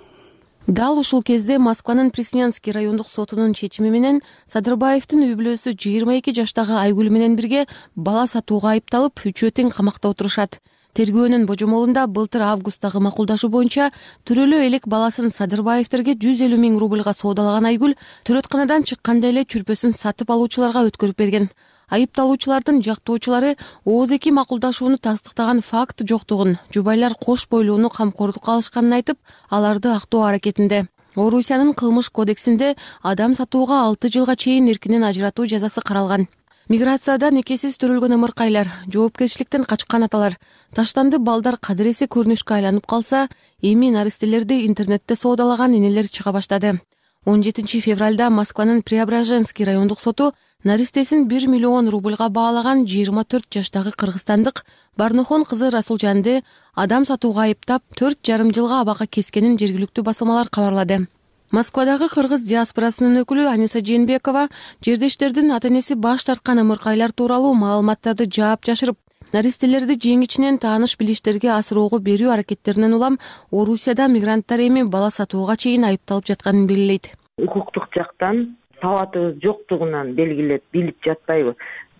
Дал ушул кезде Москванын Преснянский райондук сотунун чечими менен Садырбаевдин үй бүлөсү жыйырма эки жаштагы Айгүл менен бирге бала сатууга айыпталып, үчөө тең камакта отурушат. Тергөөнүн божомолунда былтыр августтагы макулдашуу боюнча төрөлөө элек баласын Садырбаевдерге жүз элүү миң рубльга соодалаган Айгүл төрөтканадан чыкканда эле чүрпөсүн сатып алуучуларга өткөрүп берген. Айыпталуучулардын жактоочулары ооз эки макулдашууну тастыктаган факт жоктугун, жубайлар кош бойлууну камкордукка алышканын айтып, аларды актоо аракетинде. Орусиянын кылмыш кодексинде адам сатууга алты жылга чейин эркинен ажыратуу жазасы каралган. Миграцияда некесиз төрөлгөн ымыркайлар, жоопкерчиликтен качкан аталар, таштанды балдар кадыресе көрүнүшкө айланып калса, эми наристелерди интернетте соодалаган энелер чыга баштады. он жетинчи февралда Москванын Преображенский райондук соту наристесин бир миллион рубльга баалаган жыйырма төрт жаштагы кыргызстандык Барнохон кызы Расулжанды адам сатууга айыптап төрт жарым жылга абакка кескенин жергиликтүү басылмалар кабарлады. Москвадагы кыргыз диаспорасынын өкүлү Аниса Жээнбекова жердештердин ата-энеси баш тарткан ымыркайлар тууралуу маалыматтарды жаап жашырып, наристелерди жеңичинен тааныш билиштерге асыроого берүү аракеттеринен улам Орусияда мигранттар эми бала сатууга чейин айыпталып жатканын белгилейт. Укуктук жактан сабатыбыз жоктугунан белгилеп билип жатпайбы.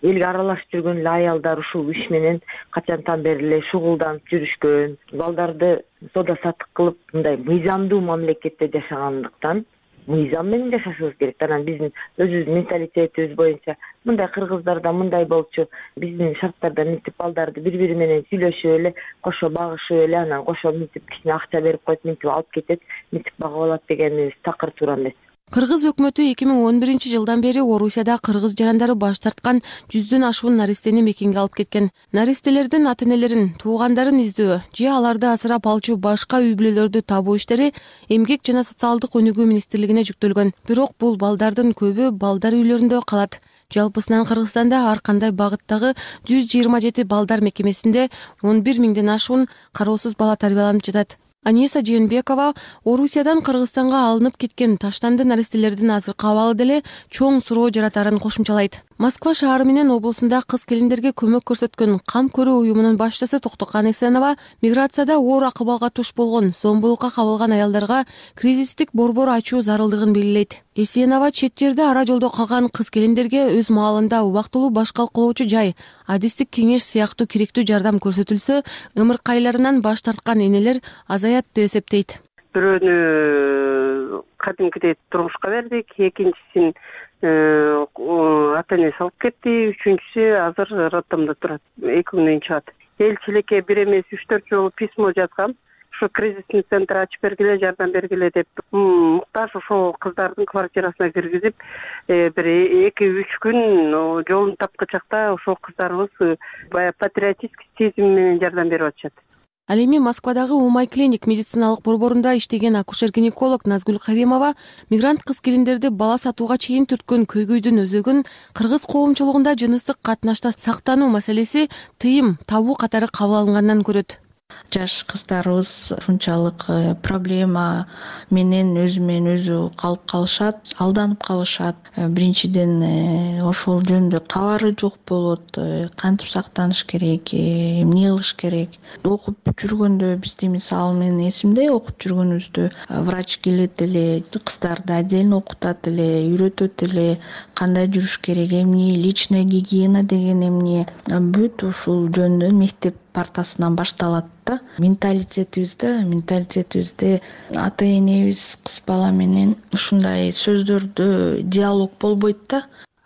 Элге аралашып жүргөн эле аялдар ушул иш менен качантан бери эле шугулданып жүрүшкөн. Балдарды сода сатык кылып мындай мыйзамдуу мамлекетте жашагандыктан мыйзам менен жашашыбыз керек. Анан биздин өзүбүздүн менталитетибиз боюнча мындай кыргыздарда мындай болчу, биздин шарттарда мынтип балдарды бири-бири менен сүйлөшүп эле, кошо багышып эле, анан кошо мынтип кичине акча берип коюп, мынтип алып кетет, мынтип багып алат дегенибиз такыр туура эмес. Кыргыз өкмөтү эки миң он биринчи жылдан бери Орусияда кыргыз жарандары баш тарткан жүздөн ашуун наристени мекенге алып кеткен. Наристелердин ата-энелерин, туугандарын издөө же аларды асырап алчу башка үй бүлөлөрдү табуу иштери Эмгек жана социалдык өнүгүү министрлигине жүктөлгөн. Бирок бул балдардын көбү балдар үйлөрүндө калат. Жалпысынан Кыргызстанда ар кандай багыттагы жүз жыйырма жети балдар мекемесинде он бир миңден ашуун кароосуз бала тарбияланып жатат. Аниса Жээнбекова Орусиядан Кыргызстанга алынып кеткен таштанды наристелердин азыркы абалы деле чоң суроо жаратарын кошумчалайт. Москва шаары менен облусунда кыз келиндерге көмөк көрсөткөн Кам көрүү уюмунун башчысы Токтокан Эсенова миграцияда оор акыбалга туш болгон, зомбулукка кабылган аялдарга кризистик борбор ачуу зарылдыгын белгилейт. Эсенова чет жерде ара жолдо калган кыз келиндерге өз маалында убактылуу баш калкалоочу жай, адистик кеңеш сыяктуу керектүү жардам көрсөтүлсө, ымыркайларынан баш тарткан энелер азаят деп эсептейт. Бирөөнү кадимкидей турмушка бердик, экинчисин ата-энеси алып кетти, үчүнчүсү азыр роддомдо турат, эки күндөн чыгат. Элчиликке бир эмес үч төрт жолу письмо жазгам. Ушу кризисный центр ачып бергиле, жардам бергиле деп. Муктаж ошол кыздардын квартирасына киргизип, бир эки үч күн жолун тапкычакта ошол кыздарыбыз баягы патриотический сезим менен жардам берип атышат. Ал эми Москвадагы Умай клиник медициналык борборунда иштеген акушер-гинеколог Назгүл Каримова мигрант кыз келиндерди бала сатууга чейин түрткөн көйгөйдүн өзөгүн кыргыз коомчулугунда жыныстык катнашта сактануу маселеси тыйым табуу катары кабыл алынгандан көрөт. Жаш кыздарыбыз ушунчалык проблема менен өзү менен өзү калып калышат, алданып калышат. Биринчиден ошол жөнүндө кабары жок болот. Кантип сактаныш керек, эмне кылыш керек. Окуп жүргөндө бизди мисалы менен эсимде, окуп жүргөнүбүздө врач келет эле, кыздарды отдельно окутат эле, үйрөтөт эле, кандай жүрүш керек, эмне личная гигиена деген эмне. Бүт ушул жөнүндө мектеп партасынан башталат да. Менталитетибизде, менталитетибизде ата-энебиз кыз бала менен ушундай сөздөрдө диалог болбойт да.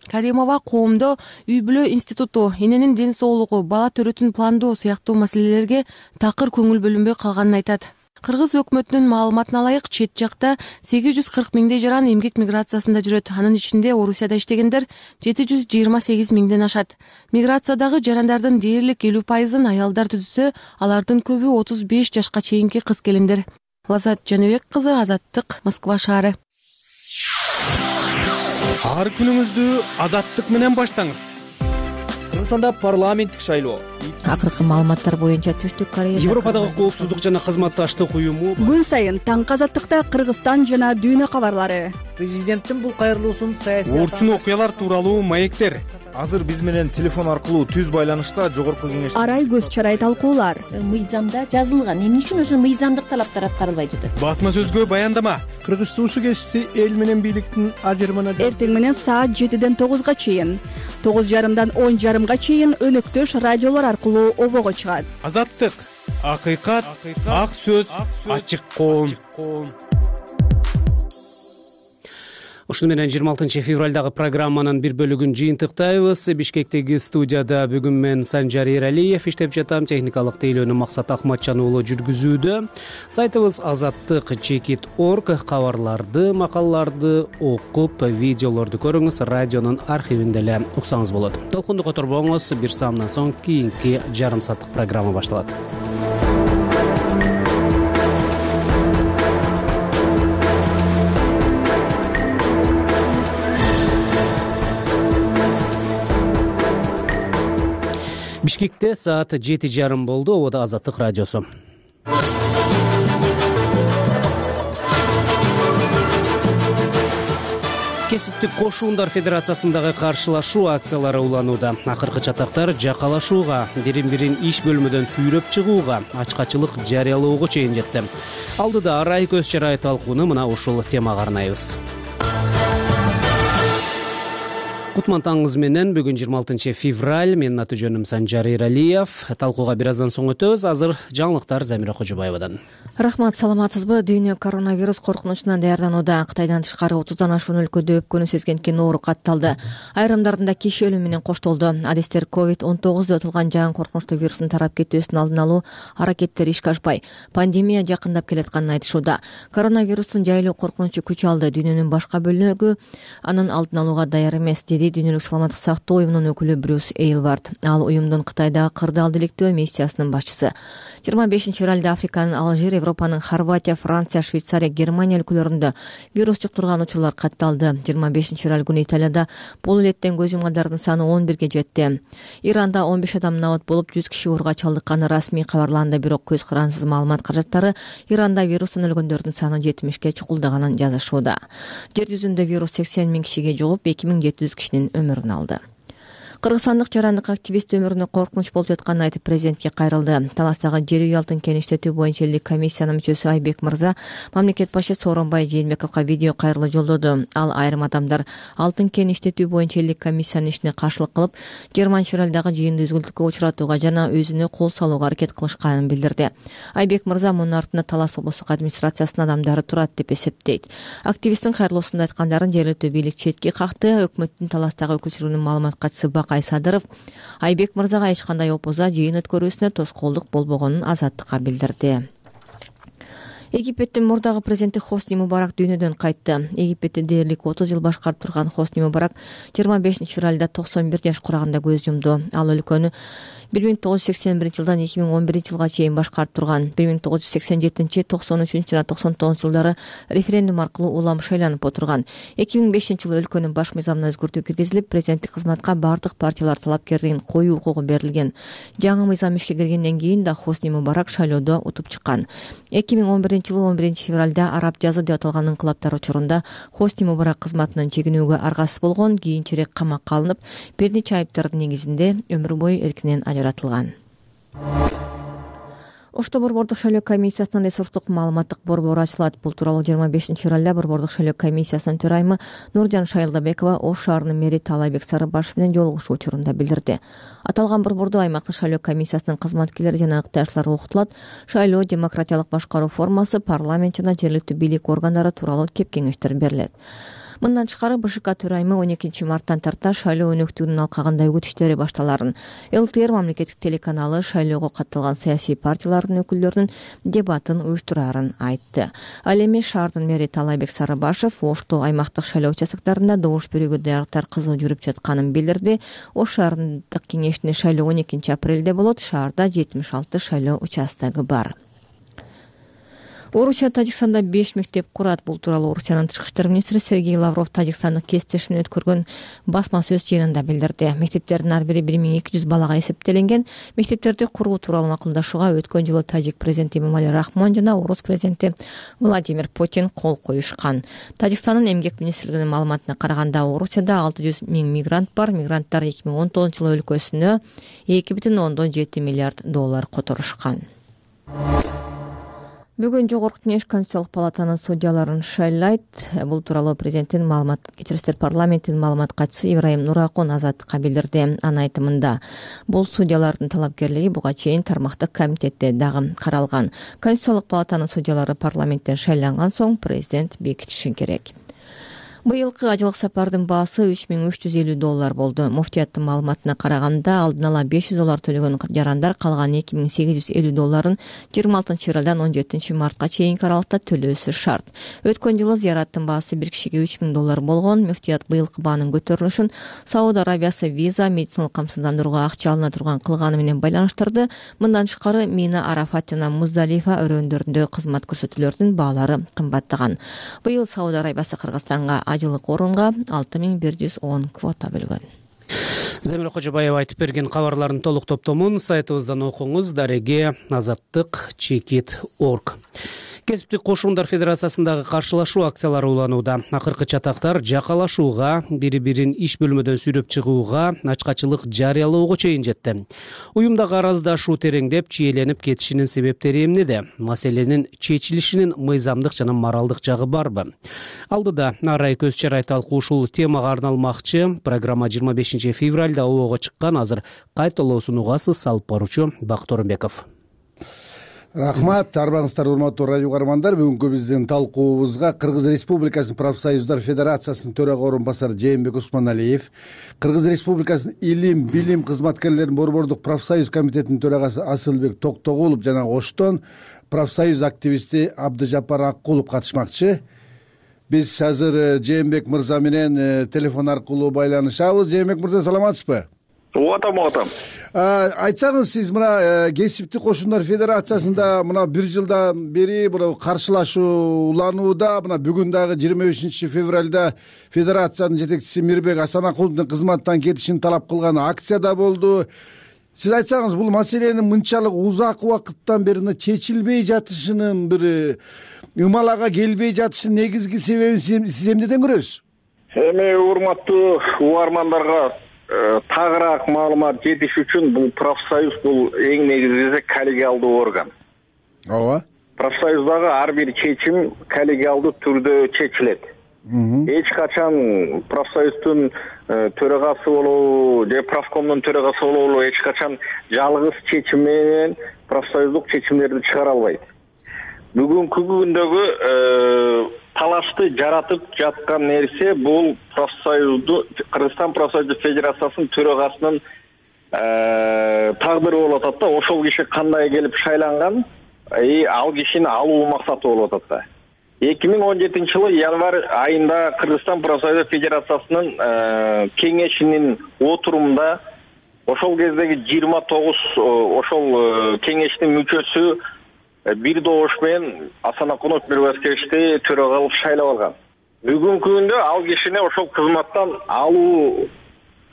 Каримова коомдо үй бүлө институту, эненин ден соолугу, бала төрөтүн пландоо сыяктуу маселелерге такыр көңүл бөлүнбөй калганын айтат. Кыргыз өкмөтүнүн маалыматына ылайык, чет жакта сегиз жүз кырк миңдей жаран эмгек миграциясында жүрөт. Анын ичинде Орусияда иштегендер жети жүз жыйырма сегиз миңден ашат. Миграциядагы жарандардын дээрлик элүү пайызын аялдар түзүсө, алардын көбү отуз беш жашка чейинки кыз келиндер. Лазат Жаныбек кызы, Азаттык, Москва шаары. Ар күнүңүздү Азаттык менен баштаңыз. Кыргызстанда парламенттик шайлоо. Акыркы маалыматтар боюнча Түштүк Корея Европадагы коопсуздук жана кызматташтык уюму күн сайын таңкы Азаттыкта Кыргызстан жана дүйнө кабарлары. Президенттин бул кайрылуусун саясий орчун окуялар тууралуу маектер. Азыр биз менен телефон аркылуу түз байланышта жогорку кеңеш Арай көз чарай талкуулар. Мыйзамда жазылган, эмне үчүн ошо мыйзамдык талаптар аткарылбай жатат? Басма сөзгө баяндама. Кыргыз туусу кесиси эл менен бийликтин ажырымына эртең менен саат жетиден тогузга чейин, тогуз жарымдан он жарымга чейин өнөктөш радиолор аркылуу обого чыгат. Азаттык, акыйкат, ак сөз, ачык коом. Ушуну менен жыйырма алтынчы февралдагы программанын бир бөлүгүн жыйынтыктайбыз. Бишкектеги студияда бүгүн мен Санжар Эралиев иштеп жатам. Техникалык тейлөөнү Максат Ахматжан уулу жүргүзүүдө. Сайтыбыз азаттык чекит точка орг. Кабарларды, макалаларды окуп, видеолорду көрүңүз. Радионун архивинде эле уксаңыз болот. Толкунду которбоңуз. Бир саамдан соң кийинки жарым сааттык программа башталат. Бишкекте саат жети жарым болду. Обода Азаттык радиосу. Кесиптик кошуундар федерациясындагы каршылашуу акциялары уланууда. Акыркы чатактар жакалашууга, бирин-бирин иш бөлмөдөн сүйрөп чыгууга, ачкачылык жарыялоого чейин жетти. Алдыда арай көз чарай талкууну мына ушул темага арнайбыз. Кутман таңыңыз менен бүгүн жыйырма алтынчы февраль. Менин аты жөнүм Санжар Эралиев. Талкууга бир аздан соң өтөбүз. Азыр жаңылыктар Замира Кожобаевадан. Рахмат, саламатсызбы? Дүйнө коронавирус коркунучунан даярданууда. Кытайдан тышкары отуздан ашуун өлкөдө өпкөнү сезген кен оору катталды. Айрымдарында киши өлүмү менен коштолду. Адистер ковид он тогуз өтүлган жаңы коркунучтуу вирустун тарап кетүүсүнүн алдын алуу аракеттери ишке ашпай, пандемия жакындап келатканын айтышууда. Коронавирустун жайылуу коркунучу күч алды. Дүйнөнүн башка бөлүгү анын алдын алууга даяр эмес, деди Дүйнөлүк саламаттык сактоо уюмунун өкүлү Брюс Эйлвард. Ал уюмдун Кытайдагы кырдаал иликтөө миссиясынын башчысы. жыйырма бешинчи февралда Африканын Алжир, Европанын Хорватия, Франция, Швейцария, Германия өлкөлөрүндө вирус жуктурган учурлар катталды. жыйырма бешинчи февраль күнү Италияда бул илеттен көз жумгандардын саны он бирге жетти. Иранда он беш адам набат болуп, жүз киши ооруга чалдыкканы расмий кабарланды, бирок көз карансыз маалымат каражаттары Иранда вирустан өлгөндөрдүн саны жетимишке чукулдаганын жазышууда. Жер жүзүндө вирус сексен миң кишиге жугуп, эки миң жети жүз кишинин өмүрүн алды. Кыргызстандык жарандык активист өмүрүнө коркунуч болуп жатканын айтып президентке кайрылды. Таластагы жер үй алтын кен иштетүү боюнча элдик комиссиянын мүчөсү Айбек Мырза мамлекет башчы Сооронбай Жээнбековго видео кайрылуу жолдоду. Ал айрым адамдар алтын кен иштетүү боюнча элдик комиссиянын ишине каршылык кылып, жыйырманчы февралдагы жыйынды үзгүлтүккө учуратууга жана өзүнө кол салууга аракет кылышканын билдирди. Айбек Мырза мунун артында Талас облустук администрациясынын адамдары турат деп эсептейт. Активисттин кайрылуусунда айткандарын жергиликтүү бийлик четки какты. Өкмөттүн Таластагы өкүлчүлүгүнүн маалымат катчысы Кайсадыров Айбек Мырзага эч кандай опуза жыйын өткөрүүсүнө тоскоолдук болбогонун Азаттыкка билдирди. Египеттин мурдагы президенти Хосни Мубарак дүйнөдөн кайтты. Египетти дээрлик отуз жыл башкарып турган Хосни Мубарак жыйырма бешинчи февралда токсон бир жаш кураганда көз жумду. Ал өлкөнү бир миң тогуз жүз сексен биринчи жылдан эки миң он биринчи жылга чейин башкарып турган. бир миң тогуз жүз сексен жетинчи, токсон үчүнчү жана токсон тогузунчу жылдары референдум аркылуу улам шайланып отурган. эки миң бешинчи жылы өлкөнүн баш мыйзамына өзгөртүү киргизилип, президенттик кызматка бардык партиялар талапкердигин коюу укугу берилген. Жаңы мыйзам ишке киргенден кийин да Хосни Мубарак шайлоодо утуп чыккан. эки миң он биринчи жылы он биринчи февралда араб жазы деп аталган инкылаптар учурунда Хосни Мубарак кызматынан чегинүүгө аргасыз болгон, кийинчерээк камакка алынып, бир нече айыптардын негизинде өмүр бою эркинен ажыратылган. Ошто борбордук шайлоо комиссиясынын ресурстук маалыматтык борбору ачылат. Бул тууралуу жыйырма бешинчи февралда борбордук шайлоо комиссиясынын төрайымы Нуржан Шайлдабекова Ош шаарынын мэри Таалайбек Сарыбашев менен жолугушуу учурунда билдирди. Аталган борбордо аймактык шайлоо комиссиясынын кызматкерлери жана ыктыяштары окутулат. Шайлоо демократиялык башкаруу формасы, парламент жана жергиликтүү бийлик органдары тууралуу кеп кеңештер берилет. Мындан тышкары БШК төрайымы он экинчи марттан тарта шайлоо өнөктүгүнүн алкагында үгүт иштери башталарын, ЛТР мамлекеттик телеканалы шайлоого катталган саясий партиялардын өкүлдөрүнүн дебатын уюштурарын айтты. Ал эми шаардын мэри Таалайбек Сарыбашев Ошто аймактык шайлоо участоктарында добуш берүүгө даярдыктар кызуу жүрүп жатканын билдирди. Ош шаарындык кеңешинин шайлоо он экинчи апрелде болот. Шаарда жетимиш алты шайлоо участогу бар. Орусия Тажикстанда беш мектеп курат. Бул тууралуу Орусиянын тышкы иштер министри Сергей Лавров тажикстандык кесиптеши менен өткөргөн басма сөз жыйынында билдирди. Мектептердин ар бири бир миң эки жүз балага эсептелинген. Мектептерди куруу тууралуу макулдашууга өткөн жылы тажик президенти Эмомали Рахмон жана орус президенти Владимир Путин кол коюшкан. Тажикстандын эмгек министрлигинин маалыматына караганда, Орусияда алты жүз миң мигрант бар. Мигранттар эки миң он тогузунчу жылы өлкөсүнө эки бүтүн ондон жети миллиард доллар которушкан. Бүгүн Жогорку Кеңеш Конституциялык палатанын судьяларын шайлайт. Бул тууралуу президенттин маалымат кечирисиздер парламенттин маалымат катчысы Ибраим Нуракун Азаттыкка билдирди. Анын айтымында, бул судьялардын талапкерлиги буга чейин тармактык комитетте дагы каралган. Конституциялык палатанын судьялары парламенттен шайланган соң президент бекитиши керек. Быйылкы ажылык сапардын баасы үч миң үч жүз элүү доллар болду. Муфтияттын маалыматына караганда алдын ала беш жүз доллар төлөгөн жарандар калган эки миң сегиз жүз элүү долларын жыйырма алтынчы февралдан он жетинчи мартка чейинки аралыкта төлөөсү шарт. Өткөн жылы зыяраттын баасы бир кишиге үч миң доллар болгон. Муфтият быйылкы баанын көтөрүлүшүн Сауд Арабиясы виза медициналык камсыздандырууга акча алына турган кылганы менен байланыштырды. Мындан тышкары Мина, Арафат жана Муздалифа өрөөндөрүндө кызмат көрсөтүүлөрдүн баалары кымбаттаган. Быйыл Сауд Арабиясы Кыргызстанга ажылык орунга алты миң бир жүз он квота бөлгөн. Замира Кожобаева айтып берген кабарлардын толук топтомун сайтыбыздан окуңуз. Дареге азаттык чекит точка орг. Кесиптик кошундар федерациясындагы каршылашуу акциялары уланууда. Акыркы чатактар жакалашууга, бири-бирин иш бөлмөдөн сүйрөп чыгууга, ачкачылык жарыялоого чейин жетти. Уюмдагы араздашуу тереңдеп, чиеленип кетишинин себептери эмнеде? Маселенин чечилишинин мыйзамдык жана моралдык жагы барбы? Алдыда арай көз чарай талкуу ушул темага арналмакчы. Программа жыйырма бешинчи февралда обого чыккан. Азыр кайталоосун угасыз. Салып баруучу Бакыт Орунбеков. Рахмат, арбаңыздар урматтуу радио угармандар. Бүгүнкү биздин талкуубузга Кыргыз Республикасынын профсоюздар федерациясынын төрага орун басары Жээнбек Усманалиев, Кыргыз Республикасынын илим, билим кызматкерлеринин борбордук профсоюз комитетинин төрагасы Асылбек Токтогулов жана Оштон профсоюз активисти Абдыжапар Аккулов катышмакчы. Биз азыр Жээнбек мырза менен телефон аркылуу байланышабыз. Жээнбек мырза, саламатсызбы? Угатам, угатам. Айтсаңыз, сиз мына кесиптик кошундар федерациясында мына бир жылдан бери мына каршылашуу уланууда. Мына бүгүн дагы жыйырма бешинчи февралда федерациянын жетекчиси Мирбек Асанакуловдун кызматтан кетишин талап кылган акция да болду. Сиз айтсаңыз, бул маселенин мынчалык узак убакыттан бери чечилбей жатышынын, бир ымалага келбей жатышынын негизги себебин сиз эмнеден көрөсүз? Эми урматтуу угармандарга тагыраак маалымат жетиш үчүн, бул профсоюз бул эң негизгиси коллегиалдуу орган. Ооба. Профсоюздагы ар бир чечим коллегиалдуу түрдө чечилет. Эч качан профсоюздун төрагасы болобу же профкомдун төрагасы болобу эч качан жалгыз чечим менен профсоюздук чечимдерди чыгара албайт. Бүгүнкү күндөгү талашты жаратып жаткан нерсе бул профсоюзду Кыргызстан профсоюз федерациясынын төрагасынын тагдыры болуп атат да. Ошол киши кандай келип шайланган, ал кишини алуу максаты болуп атат да. эки миң он жетинчи жылы январь айында Кыргызстан профсоюз федерациясынын кеңешинин отурумунда ошол кездеги жыйырма тогуз ошол кеңештин мүчөсү бир добуш менен Асанакулов Мирбаскевичти төрага кылып шайлап алган. Бүгүнкү күндө ал кишини ошол кызматтан алуу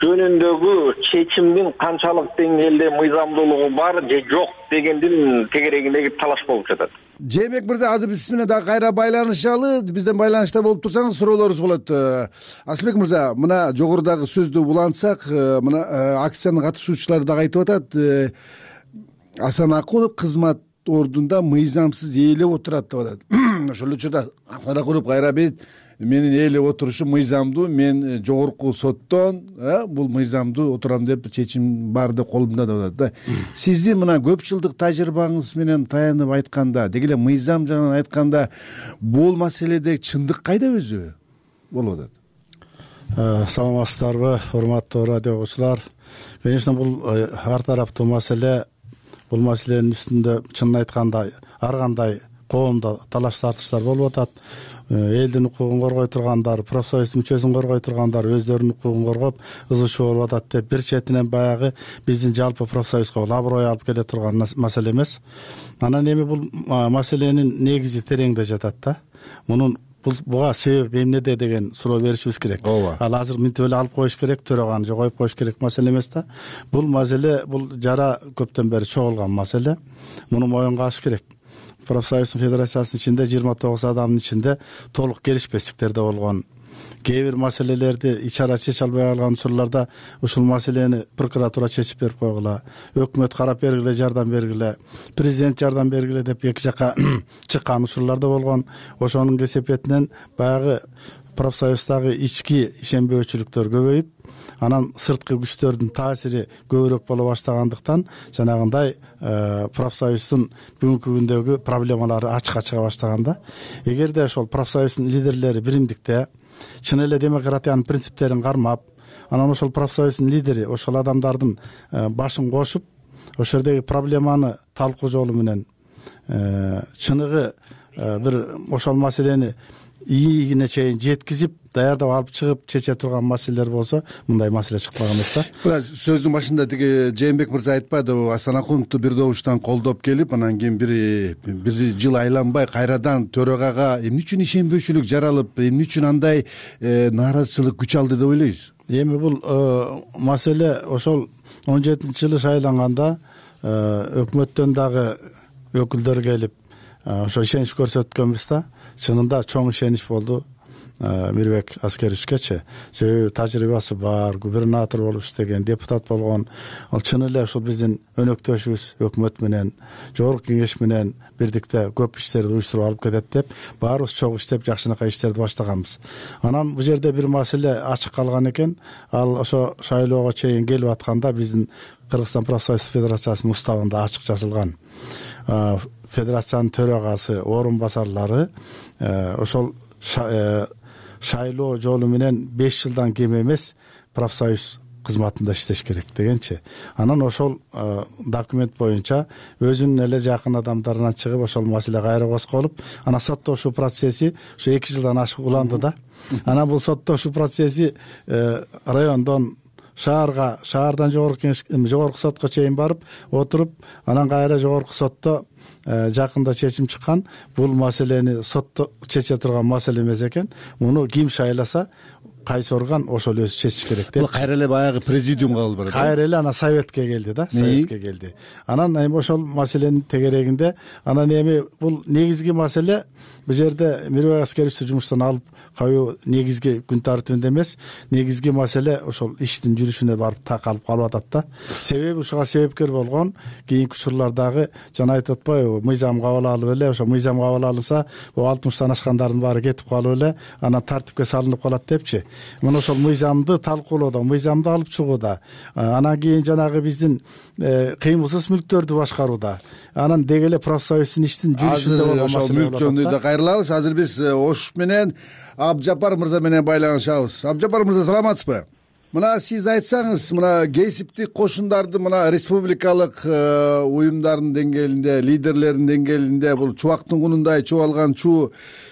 жөнүндөгү чечимдин канчалык деңгээлде мыйзамдуулугу бар же жок дегендин тегерегиндеги талаш болуп жатат. Жээнбек мырза, азыр биз менен дагы кайра байланышалы. Бизден байланышта болуп турсаңыз суроолорубуз болот. Асылбек мырза, мына жогорудагы сөздү улантсак, мына акциянын катышуучулары дагы айтып атат, Асанакулов кызмат ордунда мыйзамсыз ээлеп отурат деп атат. Ошол учурда Асанакулов кайра бет менин ээлеп отурушум мыйзамдуу, мен жогорку соттон бул мыйзамдуу отурам деп чечим бар деп колумда деп атат да. Сиздин мына көп жылдык тажрыйбаңыз менен таянып айтканда, деги эле мыйзам жагынан айтканда, бул маселеде чындык кайда өзү болуп атат? Саламатсыздарбы, урматтуу радио угуучулар? Конечно, бул ар тараптуу маселе. Бул маселенин үстүндө чынын айтканда ар кандай коомдо талаш тартыштар болуп атат. Элдин укугун коргой тургандар, профсоюз мүчөсүн коргой тургандар өздөрүнүн укугун коргоп ызычуу болуп атат деп, бир четинен баягы биздин жалпы профсоюзга аброй алып келе турган маселе эмес. Анан эми бул маселенин негизи тереңде жатат да. Мунун буга себеп эмнеде деген суроо беришибиз керек. Ал азыр мынтип эле алып коюш керек, төраганы жогоюп коюш керек маселе эмес да. Бул маселе, бул жара көптөн бери чогулган маселе. Муну моюнга алыш керек. Профсоюздун федерациясынын ичинде жыйырма тогуз адамдын ичинде толук келишпестиктер да болгон. Кээ бир маселелерди ичара чече албай калган учурларда ушул маселени прокуратура чечип берип койгула, өкмөт карап бергиле, жардам бергиле, президент жардам бергиле деп эки жака чыккан учурлар да болгон. Ошонун кесепетинен баягы профсоюздагы ички ишенбөөчүлүктөр көбөйүп, анан сырткы күчтөрдүн таасири көбүрөөк боло баштагандыктан жанагындай профсоюздун бүгүнкү күндөгү проблемалары ачыкка чыга баштаганда, эгерде ошол профсоюздун лидерлери биримдикте чын эле демократиянын принциптерин кармап, анан ошол профсоюздун лидери ошол адамдардын башын кошуп, ошол жердеги проблеманы талкуу жолу менен чыныгы бир ошол маселени ийигине чейин жеткизип даярдап алып чыгып чече турган маселелер болсо мындай маселе чыкпаган эмес да. Мына сөздүн башында тиги Жээнбек мырза айтпадыбы, Астанакуловду бир добуштан колдоп келип, анан кийин бир бир жыл айланбай кайрадан төрагага эмне үчүн ишенбөөчүлүк жаралып, эмне үчүн андай нааразычылык күч алды деп ойлойсуз? Эми бул маселе ошол он жетинчи жылы шайланганда өкмөттөн дагы өкүлдөр келип ошо ишенич көрсөткөнбүз да. Чынында чоң ишенич болду Мирбек Аскеровичкечи. Себеби тажрыйбасы бар, губернатор болуп иштеген, депутат болгон. Ал чын эле ошол биздин өнөктөшүбүз өкмөт менен, жогорку кеңеш менен бирдикте көп иштерди уюштуруп алып кетет деп, баарыбыз чогуу иштеп жакшынакай иштерди баштаганбыз. Анан бул жерде бир маселе ачык калган экен. Ал ошо шайлоого чейин келип атканда биздин Кыргызстан профсоюз федерациясынын уставында ачык жазылган. Федерациянын төрагасы, орун басарлары ошол шайлоо жолу менен беш жылдан кем эмес профсоюз кызматында иштеш керек дегенчи. Анан ошол документ боюнча өзүнүн эле жакын адамдарынан чыгып ошол маселе кайра козголуп, анан соттошуу процесси ошо эки жылдан ашык уланды да. Анан бул соттошуу процесси райондон шаарга, шаардан жогорку кеңеш, жогорку сотко чейин барып отуруп, анан кайра жогорку сотто жакында чечим чыккан. Бул маселени сотто чече турган маселе эмес экен. Муну ким шайласа, кайсы орган ошол өзү чечиш керек деп. Бул кайра эле баягы президиумга алып барат. Кайра эле ана советке келди да, советке келди. Анан эми ошол маселенин тегерегинде, анан эми бул негизги маселе бул жерде Мирбек Аскеровичти жумуштан алып коюу негизги күн тартибинде эмес. Негизги маселе ошол иштин жүрүшүнө барып такалып калып атат да. Себеби ушуга себепкер болгон кийинки учурлардагы жана айтып атпайбы, мыйзам кабыл алып эле, ошо мыйзам кабыл алынса, бул алтымыштан ашкандардын баары кетип калып эле, анан тартипке салынып калат депчи. Мына ошол мыйзамды талкуулоодо, мыйзамды алып чыгууда, анан кийин жанагы биздин кыймылсыз мүлктөрдү башкарууда, анан деги эле профсоюздун иштин жүрүшүндө болгон маселе. Ошол мүлк жөнүндө да кайрылабыз. Азыр биз Ош менен Абжапар мырза менен байланышабыз. Абжапар мырза, саламатсызбы? Мына сиз айтсаңыз, мына кесиптик кошундарды мына республикалык уюмдардын деңгээлинде, лидерлердин деңгээлинде бул чубактын кунундай чубалган чуу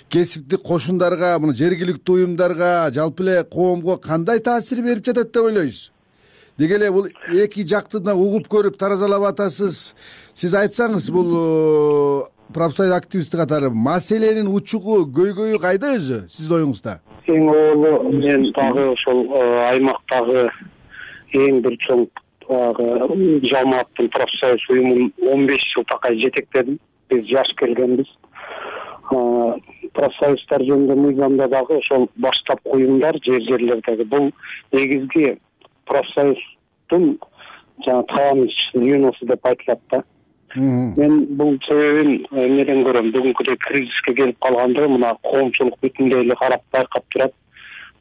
кесиптик кошундарга, мына жергиликтүү уюмдарга, жалпы эле коомго кандай таасир берип жатат деп ойлойсуз? Деги эле бул эки жакты да угуп көрүп таразалап атасыз. Сиз айтсаңыз, бул профсоюз активисти катары маселенин учугу, көйгөйү кайда өзү сиздин оюңузда? Эң оолу мен дагы ошол аймактагы эң бир чоң жамааттын профсоюз уюмун он беш жыл такай жетектедим. Биз жаш келгенбиз. Профсоюздар жөнүндө мыйзамда дагы ошол баштапкы уюмдар жер жерлердеги бул негизги профсоюздун жана табан звеносы деп айтылат да. Мен бул себебин эмнеден көрөм? Бүгүнкүдөй кризиске келип калганда мына коомчулук бүтүндөй эле карап байкап турат.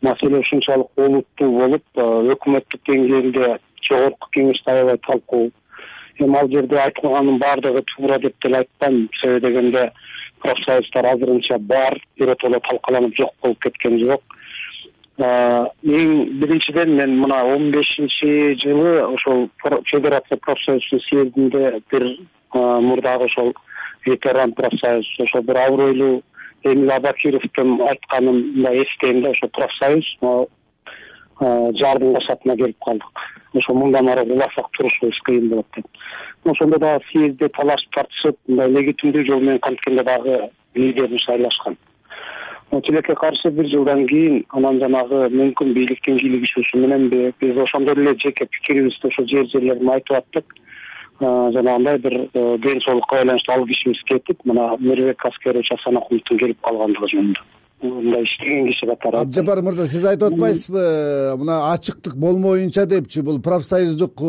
Маселе ушунчалык олуттуу болуп, өкмөттүк деңгээлде жогорку кеңеште аябай талкуу. Эми ал жерде айтылганын баардыгы туура деп деле айтпайм. Себеби дегенде профсоюздар азырынча бар, биротоло талкаланып жок болуп кеткен жок. Эң биринчиден мен мына он бешинчи жылы ошол Федерация профсоюздун съездинде бир мурдагы ошол ветеран профсоюз, ошол бир абройлуу Эмил Абакировдун айтканын мындай эстейм да, ошол профсоюз жардын кашатына келип калдык. Ошо мындан ары уласак турушубуз кыйын болот деп. Ошондо дагы съездде талашып тартышып, мындай легитимдүү жол менен канткенде дагы лидерин шайлашкан. Тилекке каршы бир жылдан кийин анан жанагы мүмкүн бийликтин кийлигишүүсү мененби биз ошондой эле жеке пикирибизди ошо жер жерлерин айтып аттык. Жанагындай бир ден соолукка байланыштуу ал кишибиз кетип, мына Мирбек Аскерович Асанакуловдун келип калгандыгы жөнүндө мындай иштеген киши катары. Абжапар мырза, сиз айтып атпайсызбы, мына ачыктык болмоюнча депчи, бул профсоюздук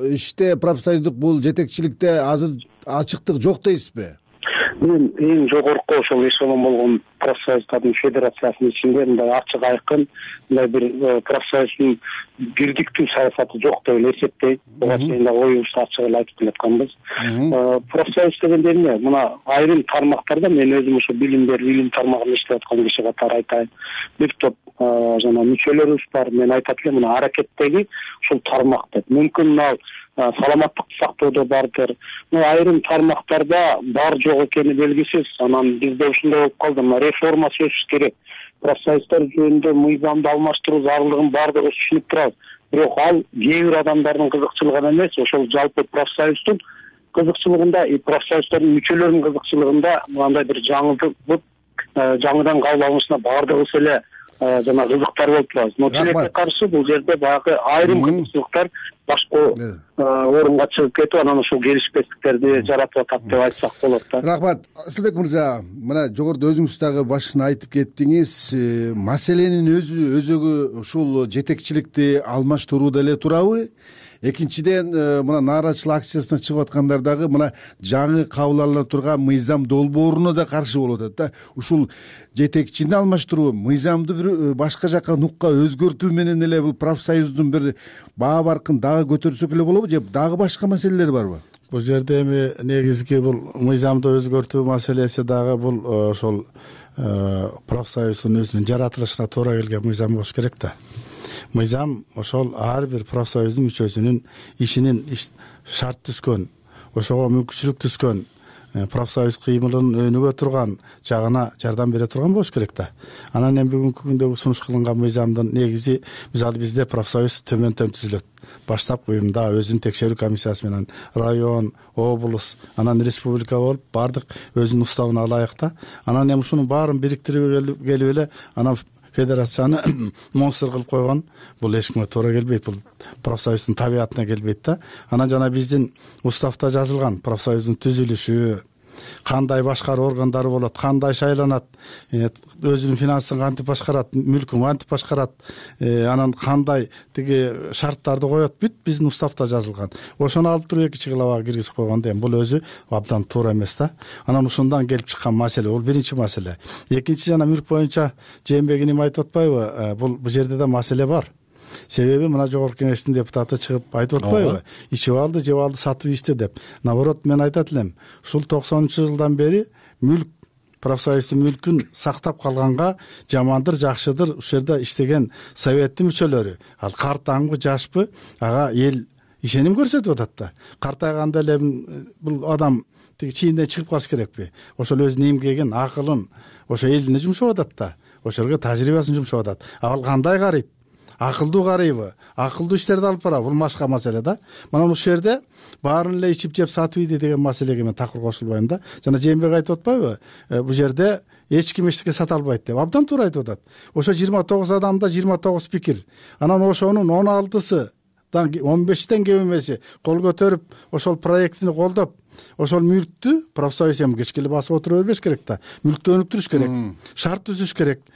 иште, профсоюздук бул жетекчиликте азыр ачыктык жок дейсизби? мен эң жогорку ошол эшелон болгон профсоюздардын федерациясынын ичинде мындай ачык айкын мындай бир профсоюздун бирдиктүү саясаты жок деп эле эсептейм. Буга чейин да оюбузду ачык эле айтып келатканбыз. Профсоюз дегенде эмне? Мына айрым тармактарда мен өзүм ошо билим берүү илим тармагында иштеп аткан киши катары айтайын. Бир топ жана мүчөлөрүбүз бар. Мен айтат элем мына аракеттеги ушул тармак деп. Мүмкүн мына саламаттыкты сактоодо бардыр. Айрым тармактарда бар жок экени белгисиз. Анан бизде ушундай болуп калды. Мына реформа сөзсүз керек. Профсоюздар жөнүндө мыйзамды алмаштыруу зарылдыгын бардыгыбыз түшүнүп турабыз. Бирок ал кээ бир адамдардын кызыкчылыгына эмес, ошол жалпы профсоюздун кызыкчылыгында, профсоюздардын мүчөлөрүнүн кызыкчылыгында мындай бир жаңылып, жаңыдан кабыл алынышына бардыгыбыз эле жана кызыктар болуп турабыз. Но тилекке каршы бул жерде баягы айрым кызыкчылыктар башка орунга чыгып кетип, анан ушул келишпестиктерди жаратып атат деп айтсак болот да. Рахмат. Асылбек мырза, мына жогоруда өзүңүз дагы башын айтып кеттиңиз, маселенин өзү өзөгү ушул жетекчиликти алмаштырууда эле турабы? Экинчиден, мына нааразычылык акциясына чыгып аткандар дагы мына жаңы кабыл алына турган мыйзам долбооруна да каршы болуп атат да. Ушул жетекчини алмаштыруу, мыйзамды бир башка жака нукка өзгөртүү менен эле бул профсоюздун бир баа баркын дагы көтөрсөк эле болобу же дагы башка маселелер барбы? Бул жерде эми негизги бул мыйзамды өзгөртүү маселеси дагы бул ошол профсоюздун өзүнүн жаратылышына туура келген мыйзам болуш керек да. Мыйзам ошол ар бир профсоюздун мүчөсүнүн ишинин шарт түзгөн, ошого мүмкүнчүлүк түзгөн, профсоюз кыймылын өнүгө турган жагына жардам бере турган болуш керек да. Анан эми бүгүнкү күндө сунуш кылынган мыйзамдын негизи, мисалы бизде профсоюз төмөндөн түзүлөт. Баштапкы уюмда өзүнүн текшерүү комиссиясы менен район, облус, анан республика болуп бардык өзүнүн уставына ылайык да. Анан эми ушунун баарын бириктирип келип эле анан федерацияны монстр кылып койгон бул эч кимге туура келбейт, бул профсоюздун табиятына келбейт да. Анан жана биздин уставда жазылган профсоюздун түзүлүшү, кандай башкаруу органдары болот, кандай шайланат, өзүнүн финансын кантип башкарат, мүлкүн кантип башкарат, анан кандай тиги шарттарды коет, бүт биздин уставда жазылган. Ошону алып туруп экинчи главага киргизип койгон дейм. Бул өзү абдан туура эмес да. Анан ушундан келип чыккан маселе, бул биринчи маселе. Экинчи жана мүлк боюнча Жээнбек иним айтып атпайбы, бул бул жерде да маселе бар. Себеби мына жогорку кеңештин депутаты чыгып айтып атпайбы, ичип алды, жеп алды, сатып ичти деп. Наоборот, мен айтат элем, ушул токсонунчу жылдан бери мүлк, профсоюздун мүлкүн сактап калганга жамандыр, жакшыдыр ушул жерде иштеген советтин мүчөлөрү, ал картаңбы, жашпы, ага эл ишеним көрсөтүп атат да. Картайганда эле бул адам тиги чийинден чыгып калыш керекпи? Ошол өзүнүн эмгегин, акылын, ошо элине жумшап атат да. Ошолорго тажрыйбасын жумшап атат. Ал кандай карайт? Акылдуу карайбы? Акылдуу иштерди алып барабы? Бул башка маселе да. Мына ушул жерде баарын эле ичип жеп сатып ийди деген маселеге мен такыр кошулбайм да. Жана Жээнбек айтып атпайбы? Бул жерде эч ким эчтеке сата албайт деп. Абдан туура айтып атат. Ошо жыйырма тогуз адамда жыйырма тогуз пикир. Анан ошонун он алтысы он бештен кем эмеси кол көтөрүп, ошол проектини колдоп, ошол мүлктү профсоюз эми кечке эле басып отура бербеш керек да. Мүлктү өнүктүрүш керек, шарт түзүш керек,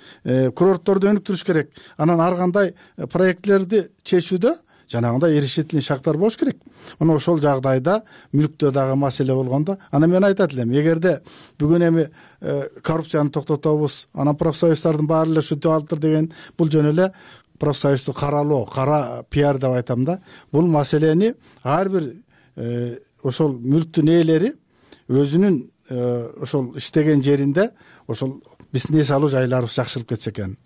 курортторду өнүктүрүш керек. Анан ар кандай проектлерди чечүүдө жанагындай решительный шарттар болуш керек. Мына ошол жагдайда мүлктө дагы маселе болгондо, анан мен айтат элем, эгерде бүгүн эми коррупцияны токтотобуз, анан профсоюздардын баары эле ушинтип алыптыр деген, бул жөн эле профсоюзду каралоо, кара пиар деп айтам да. Бул маселени ар бир ошол мүлктүн ээлери өзүнүн ошол иштеген жеринде ошол биздин эс алуу жайларыбыз жакшырып кетсе экен,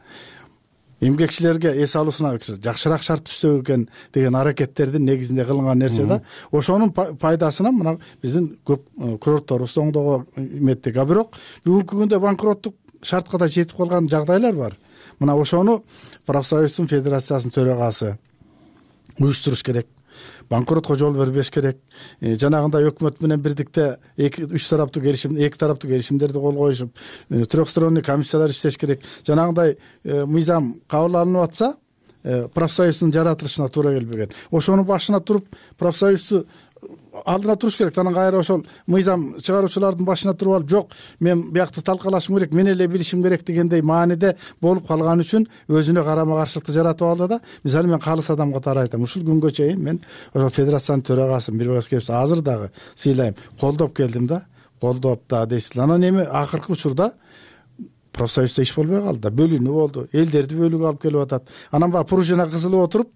эмгекчилерге эс алуусуна жакшыраак шарт түзсө экен деген аракеттердин негизинде кылынган нерсе да. Ошонун пайдасынан мына биздин көп курортторубуз оңдого эметтик. А бирок бүгүнкү күндө банкроттук шартка да жетип калган жагдайлар бар. Мына ошону профсоюздун федерациясынын төрагасы уюштуруш керек. Банкротко жол бербеш керек. Жанагындай өкмөт менен бирдикте эки үч тараптуу келишим, эки тараптуу келишимдерди кол коюшуп, трехсторонний комиссиялар иштеш керек. Жанагындай мыйзам кабыл алынып атса, профсоюздун жаратылышына туура келбеген. Ошонун башына туруп, профсоюзду алдына туруш керек. Анан кайра ошол мыйзам чыгаруучулардын башына туруп алып, жок, мен биякты талкалашым керек, мен эле билишим керек дегендей мааниде болуп калган үчүн өзүнө карама каршылыкты жаратып алды да. Мисалы мен калыс адам катары айтам, ушул күнгө чейин мен ошол федерациянын төрагасын бир башка азыр дагы сыйлайм, колдоп келдим да. колдоп да дейсиз. Анан эми акыркы учурда профсоюзда иш болбой калды да, бөлүнүү болду, элдерди бөлүүгө алып келип атат. Анан баягы пружина кызылып отуруп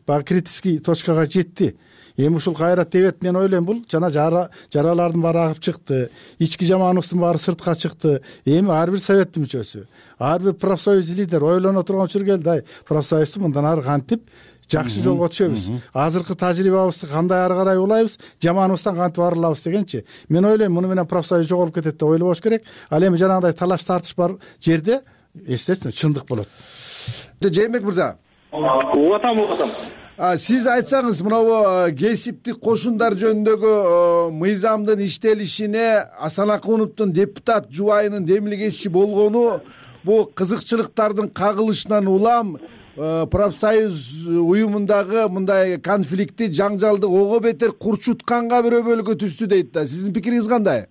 баягы критический точкага жетти. Эми ушул кайра тебет, мен ойлойм, бул жана жаралардын баары агып чыкты, ички жаманыбыздын баары сыртка чыкты. Эми ар бир советтин мүчөсү, ар бир профсоюз лидер ойлоно турган учур келди. Ай, профсоюзду мындан ары кантип жакшы жолго түшөбүз, азыркы тажрыйбабызды кандай ары карай улайбыз, жаманыбыздан кантип арылабыз дегенчи. Мен ойлойм, муну менен профсоюз жоголуп кетет деп ойлобош керек. Ал эми жанагындай талаш тартыш бар жерде естественно чындык болот. Жээнбек мырза, угатам угатам сиз айтсаңыз, мынабу кесиптик кошундар жөнүндөгү мыйзамдын иштелишине Асан Акуновдун депутат жубайынын демилгечи болгону бул кызыкчылыктардын кагылышынан улам профсоюз уюмундагы мындай конфликтти, жаңжалды ого бетер курчутканга бир өбөлгө түстү дейт да. Сиздин пикириңиз кандай?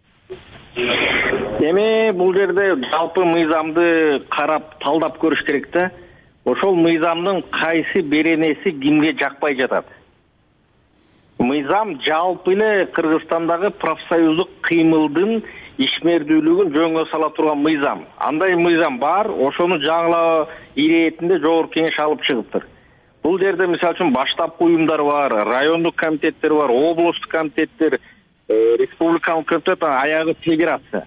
Эми бул жерде жалпы мыйзамды карап талдап көрүш керек да. Ошол мыйзамдын кайсы беренеси кимге жакпай жатат? Мыйзам жалпы эле Кыргызстандагы профсоюздук кыймылдын ишмердүүлүгүн жөнгө сала турган мыйзам. Андай мыйзам бар, ошону жаңылоо иретинде жогорку кеңеш алып чыгыптыр. Бул жерде мисалы үчүн баштапкы уюмдар бар, райондук комитеттер бар, облустук комитеттер, республикалык комитет, аягы федерация.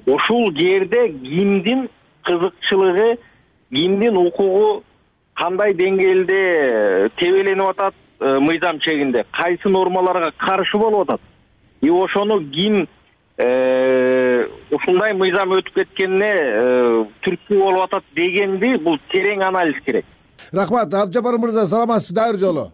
Ошол жерде кимдин кызыкчылыгы, кимдин укугу кандай деңгээлде тебеленип атат мыйзам чегинде, кайсы нормаларга каршы болуп атат. И ошону ким ушундай мыйзам өтүп кеткенине түрткү болуп атат дегенди, бул терең анализ керек. Рахмат. Абжапар мырза, саламатсызбы? Дайыр жолу.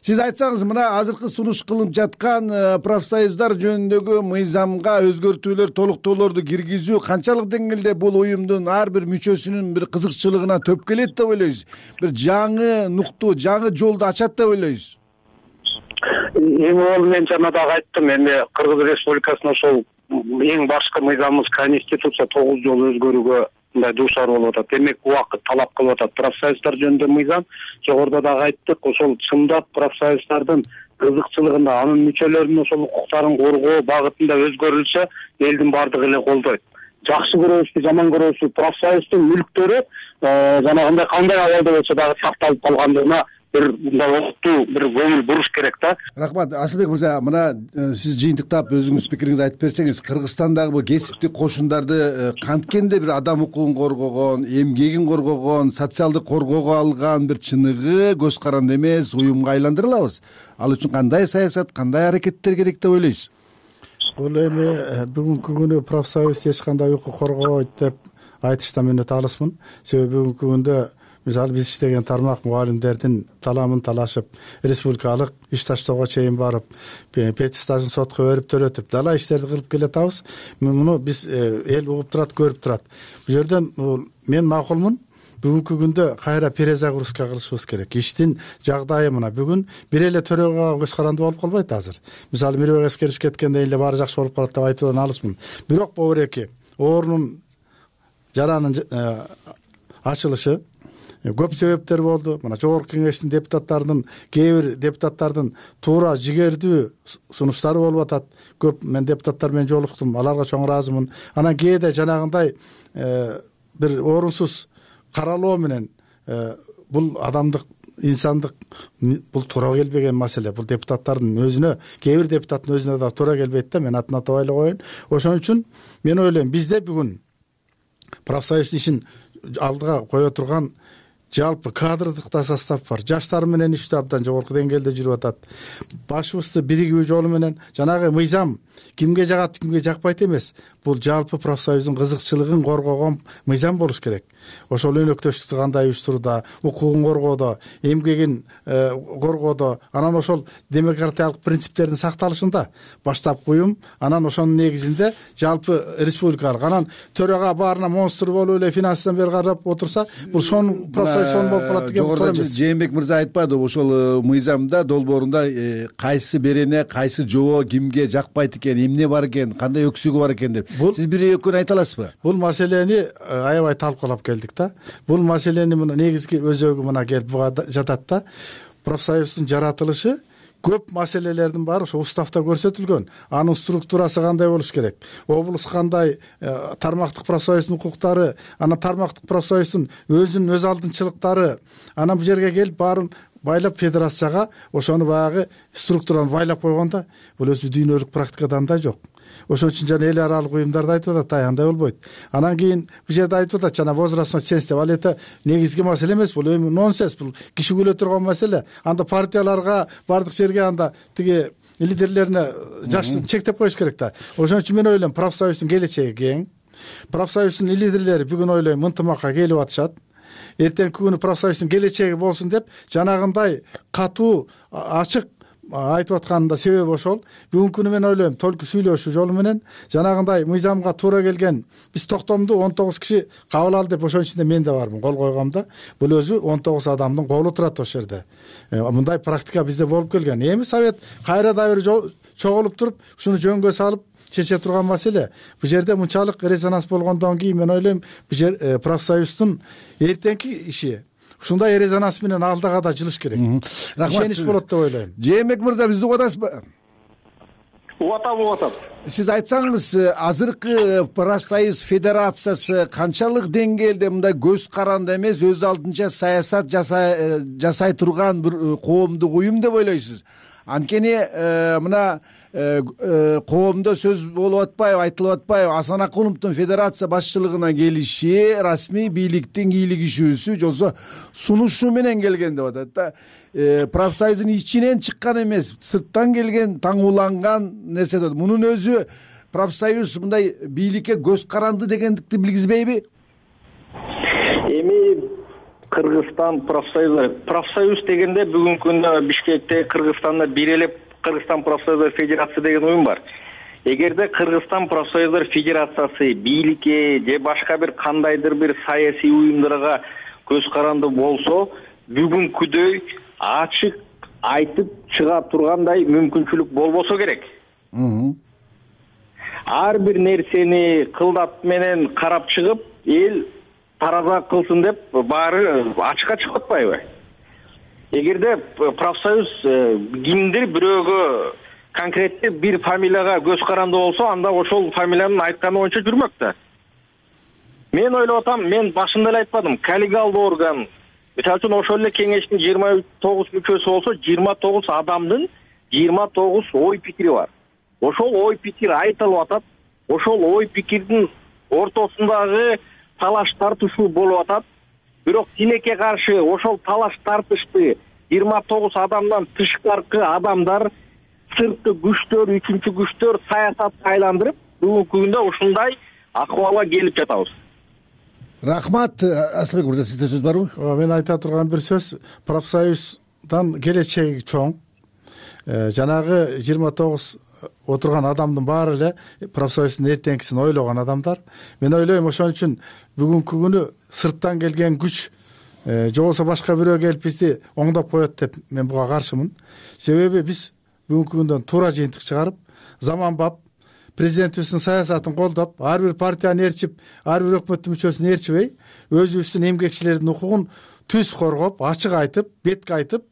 Сиз айтсаңыз, мына азыркы сунуш кылынып жаткан профсоюздар жөнүндөгү мыйзамга өзгөртүүлөр, толуктоолорду киргизүү канчалык деңгээлде бул уюмдун ар бир мүчөсүнүн бир кызыкчылыгына төп келет деп ойлойсуз? Бир жаңы нукту, жаңы жолду ачат деп ойлойсуз? Эми ол мен жана дагы айттым, эми Кыргыз Республикасынын ошол эң башкы мыйзамыбыз Конституция тогуз жолу өзгөрүүгө мындай дуушар болуп атат. Демек, убакыт талап кылып атат. Профсоюздар жөнүндө мыйзам, жогоруда дагы айттык, ошол чындап профсоюздардын кызыкчылыгында, анын мүчөлөрүнүн ошол укуктарын коргоо багытында өзгөрүлсө, элдин баардыгы эле колдойт. Жакшы көрөбүзбү, жаман көрөбүзбү, профсоюздун мүлктөрү жанагындай кандай абалда болсо дагы сакталып калгандыгына бир мындай октуу бир көңүл буруш керек да. Рахмат. Асылбек мырза, мына сиз жыйынтыктап өзүңүз пикириңизди айтып берсеңиз, Кыргызстандагы бул кесиптик кошундарды канткенде бир адам укугун коргогон, эмгегин коргогон, социалдык коргоого алган бир чыныгы, көз каранды эмес уюмга айландыра алабыз? Ал үчүн кандай саясат, кандай аракеттер керек деп ойлойсуз? Бул эми бүгүнкү күнү профсоюз эч кандай укук коргобойт деп айтыштан мен өтө алысмын. Себеби бүгүнкү күндө мисалы биз иштеген тармак мугалимдердин таламын талашып, республикалык иш таштоого чейин барып, петистажын сотко берип төлөтүп, дала иштерди кылып келатабыз. Муну биз эл угуп турат, көрүп турат. Бул жерден мен макулмун. Бүгүнкү күндө кайра перезагрузка кылышыбыз керек. Иштин жагдайы мына бүгүн бир эле төрөгө көз каранды болуп калбайт азыр. Мисалы Мирбек Аскерович кеткенде эле баары жакшы болуп калат деп айтуудан алысмын. Бирок могу эки оорунун жаранын ачылышы көп себептер болду. Мына жогорку кеңештин депутаттарынын, кээ бир депутаттардын туура жигердүү сунуштары болуп атат. Көп мен депутаттар менен жолуктум, аларга чоң ыраазымын. Анан кээде жанагындай бир орунсуз каралоо менен бул адамдык, инсандык, бул туура келбеген маселе. Бул депутаттардын өзүнө, кээ бир депутаттын өзүнө да туура келбейт да, мен атын атап айла коеюн. Ошон үчүн мен ойлойм, бизде бүгүн профсоюз ишин алдыга кое турган жалпы кадрдык да состав бар. Жаштар менен иштөө абдан жогорку деңгээлде жүрүп атат. Башыбызды биригүү жолу менен жанагы мыйзам кимге жагат, кимге жакпайт эмес. Бул жалпы профсоюздун кызыкчылыгын коргогон мыйзам болуш керек. Ошол өнөктөштүктү кандай уюштурууда, укугун коргоодо, эмгегин коргоодо, анан ошол демократиялык принциптердин сакталышында баштапкы уюм, анан ошонун негизинде жалпы республикалык, анан төрага баарына монстр болуп эле финансдан бери карап отурса, бул шон профсоюз сон болуп калат деген туура эмес. Жээнбек мырза айтпады, ошол мыйзамда долбоорунда кайсы берене, кайсы жобо кимге жакпайт экен, эмне бар экен, кандай өксүгү бар экен деп. Сиз бир экөөнү айта аласызбы? Бул маселени аябай талкуулап келдик да. Бул маселени мына негизги өзөгү мына келип жатат да. Профсоюздун жаратылышы көп маселелердин баары ошо уставда көрсөтүлгөн. Анын структурасы кандай болуш керек, облус кандай, тармактык профсоюздун укуктары, анан тармактык профсоюздун өзүнүн өз алдынчылыктары, анан бул жерге келип баарын байлап федерацияга ошону баягы структураны байлап койгондо бул өзү дүйнөлүк практикада андай жок. Ошон үчүн жана эл аралык уюмдарда айтып атат, ай андай болбойт. Анан кийин бул жерде айтып атат, жана возрастной ценз деп, ал эте негизги маселе эмес, бул эми нонсенс, бул киши күлө турган маселе. Анда партияларга бардык жерге анда тиги лидерлерине жашты чектеп коюш керек да. Ошон үчүн мен ойлойм, профсоюздун келечеги кең. Профсоюздун лидерлери бүгүн ойлойм ынтымакка келип атышат. Эртеңки күнү профсоюздун келечеги болсун деп жанагындай катуу, ачык айтып атканында себеби ошол. Бүгүнкү күнү мен ойлойм, толку сүйлөшүү жолу менен жанагындай мыйзамга туура келген биз токтомду он тогуз киши кабыл алды деп, ошонун ичинде мен да бармын, кол койгом да. Бул өзү он тогуз адамдын колу турат ошол жерде. Мындай практика бизде болуп келген. Эми совет кайра да бир чогулуп туруп, ушуну жөнгө салып чече турган маселе. Бул жерде мынчалык резонанс болгондон кийин мен ойлойм, бул жер профсоюздун эртеңки иши ушундай резонанс менен алдыга да жылыш керек. Ишенич болот деп ойлойм. Жээнбек мырза, бизди угуп атасызбы? Угуп атам, угуп атам. Сиз айтсаңыз, азыркы профсоюз федерациясы канчалык деңгээлде мындай көз каранды эмес, өз алдынча саясат жасай жасай турган бир коомдук уюм деп ойлойсуз? Анткени мына коомдо сөз болуп атпайбы, айтылып атпайбы, Асан Акуловдун федерация башчылыгына келиши расмий бийликтин кийлик ишүүсү жолсо сунушу менен келген деп атат да. Профсоюздун ичинен чыккан эмес, сырттан келген, таңууланган нерсе деп. Мунун өзү профсоюз мындай бийликке көз каранды дегендикти билгизбейби? Эми Кыргызстан профсоюзу, профсоюз дегенде бүгүнкү күндө Бишкекте, Кыргызстанда бир эле Кыргызстан профсоюздар федерациясы деген уюм бар. Эгерде Кыргызстан профсоюздар федерациясы бийликке же башка бир кандайдыр бир саясий уюмдарга көз каранды болсо, бүгүнкүдөй ачык айтып чыга тургандай мүмкүнчүлүк болбосо керек. Ар бир нерсени кылдат менен карап чыгып, эл тараза кылсын деп баары ачыкка чыгып атпайбы? Эгерде профсоюз кимдир бирөөгө конкреттүү бир фамилияга көз каранды болсо, анда ошол фамилиянын айтканы боюнча жүрмөк да. Мен ойлоп атам, мен башында эле айтпадым, коллегиалдуу орган, мисалы үчүн ошол эле кеңештин жыйырма тогуз мүчөсү болсо, жыйырма тогуз адамдын жыйырма тогуз ой пикири бар. Ошол ой пикир айтылып атат, ошол ой пикирдин ортосундагы талаш тартышуу болуп атат. Бирок тилекке каршы ошол талаш тартышты жыйырма тогуз адамдан тышкаркы адамдар, сырткы күчтөр, үчүнчү күчтөр саясатка айландырып, бүгүнкү күндө ушундай акыбалга келип жатабыз. Рахмат. Асылбек мырза, сизде сөз барбы? Мен айта турган бир сөз, профсоюздан келечеги чоң. Жанагы жыйырма тогуз отурган адамдын баары эле профсоюздун эртеңкисин ойлогон адамдар. Мен ойлойм, ошон үчүн бүгүнкү күнү сырттан келген күч же болбосо башка бирөө келип бизди оңдоп коет деп мен буга каршымын. Себеби биз бүгүнкү күндөн туура жыйынтык чыгарып, заманбап президентибиздин саясатын колдоп, ар бир партияны ээрчип, ар бир өкмөттүн мүчөсүн ээрчибей, өзүбүздүн эмгекчилердин укугун түз коргоп, ачык айтып, бетке айтып,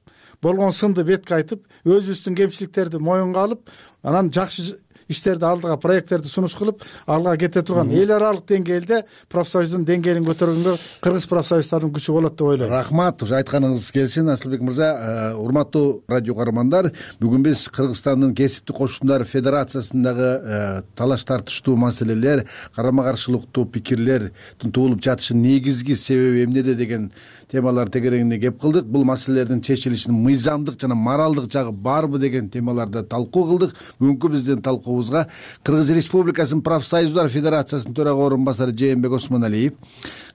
болгон сынды бетке айтып, өзүбүздүн кемчиликтерди моюнга алып, анан жакшы иштерди алдыга, проекттерди сунуш кылып, алга кете турган эл аралык деңгээлде профсоюздун деңгээлин көтөргөнгө кыргыз профсоюздарынын күчү болот деп ойлойм. Рахмат, ушу айтканыңыз келсин, Асылбек мырза. Урматтуу радио каармандар, бүгүн биз Кыргызстандын кесиптик кошундар федерациясындагы талаш тартыштуу маселелер, карама каршылыктуу пикирлердин туулуп жатышынын негизги себеби эмнеде деген темалар тегерегинде кеп кылдык. Бул маселелердин чечилишинин мыйзамдык жана моралдык жагы барбы деген темаларда талкуу кылдык. Бүгүнкү биздин талкуубузга Кыргыз Республикасынын профсоюздар федерациясынын төрага орун басары Жээнбек Осмоналиев,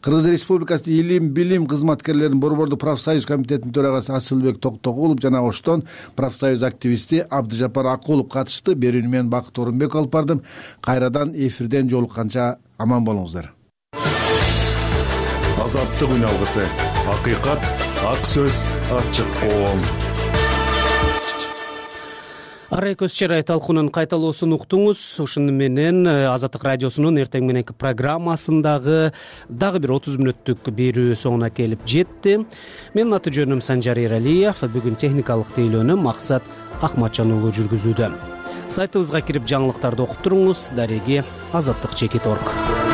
Кыргыз Республикасынын илим билим кызматкерлеринин борбордук профсоюз комитетинин төрагасы Асылбек Токтогулов жана оштон профсоюз активисти Абдыжапар Акулов катышты. Берүүнү мен Бакыт Орунбек алып бардым. Кайрадан эфирден жолукканча аман болуңуздар. Азаттык үн алгысы, акыйкат, ак сөз, ачык коом. арай көз чарай талкуунун кайталоосун уктуңуз. Ушуну менен Азаттык радиосунун эртең мененки программасындагы дагы бир отуз мүнөттүк берүү соңуна келип жетти. Менин аты жөнүм Санжар Эралиев. Бүгүн техникалык тейлөөнү Максат Акматжан уулу жүргүзүүдө. Сайтыбызга кирип жаңылыктарды окуп туруңуз. Дареги азаттык чекит точка орг.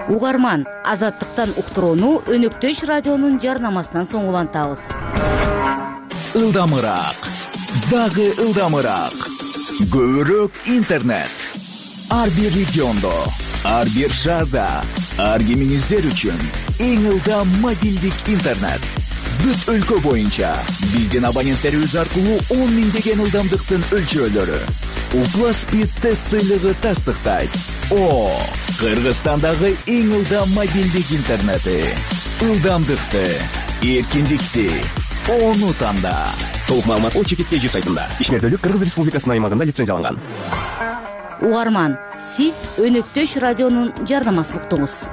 Угарман, Азаттыктан уктурууну Өнөктөш радионун жарнамасынан соң улантабыз. Ылдамыраак, дагы ылдамыраак. Көбүрөөк интернет. Ар бир региондо, ар бир шаарда, ар кимиңиздер үчүн эң ылдам мобилдик интернет. Бүт өлкө боюнча биздин абоненттерибиз аркылуу он миңдеген ылдамдыктын өлчөөлөрү. Укла Speed тест сыйлыгы тастыктайт. О, Кыргызстандагы эң ылдам мобилдик интернети. Ылдамдыкты, эркиндикти, ону танда. Толук маалымат о чекит кей жи сайтында. Ишмердүүлүк Кыргыз Республикасынын аймагында лицензияланган. Угарман, сиз Өнөктөш радионун жарнамасын уктуңуз.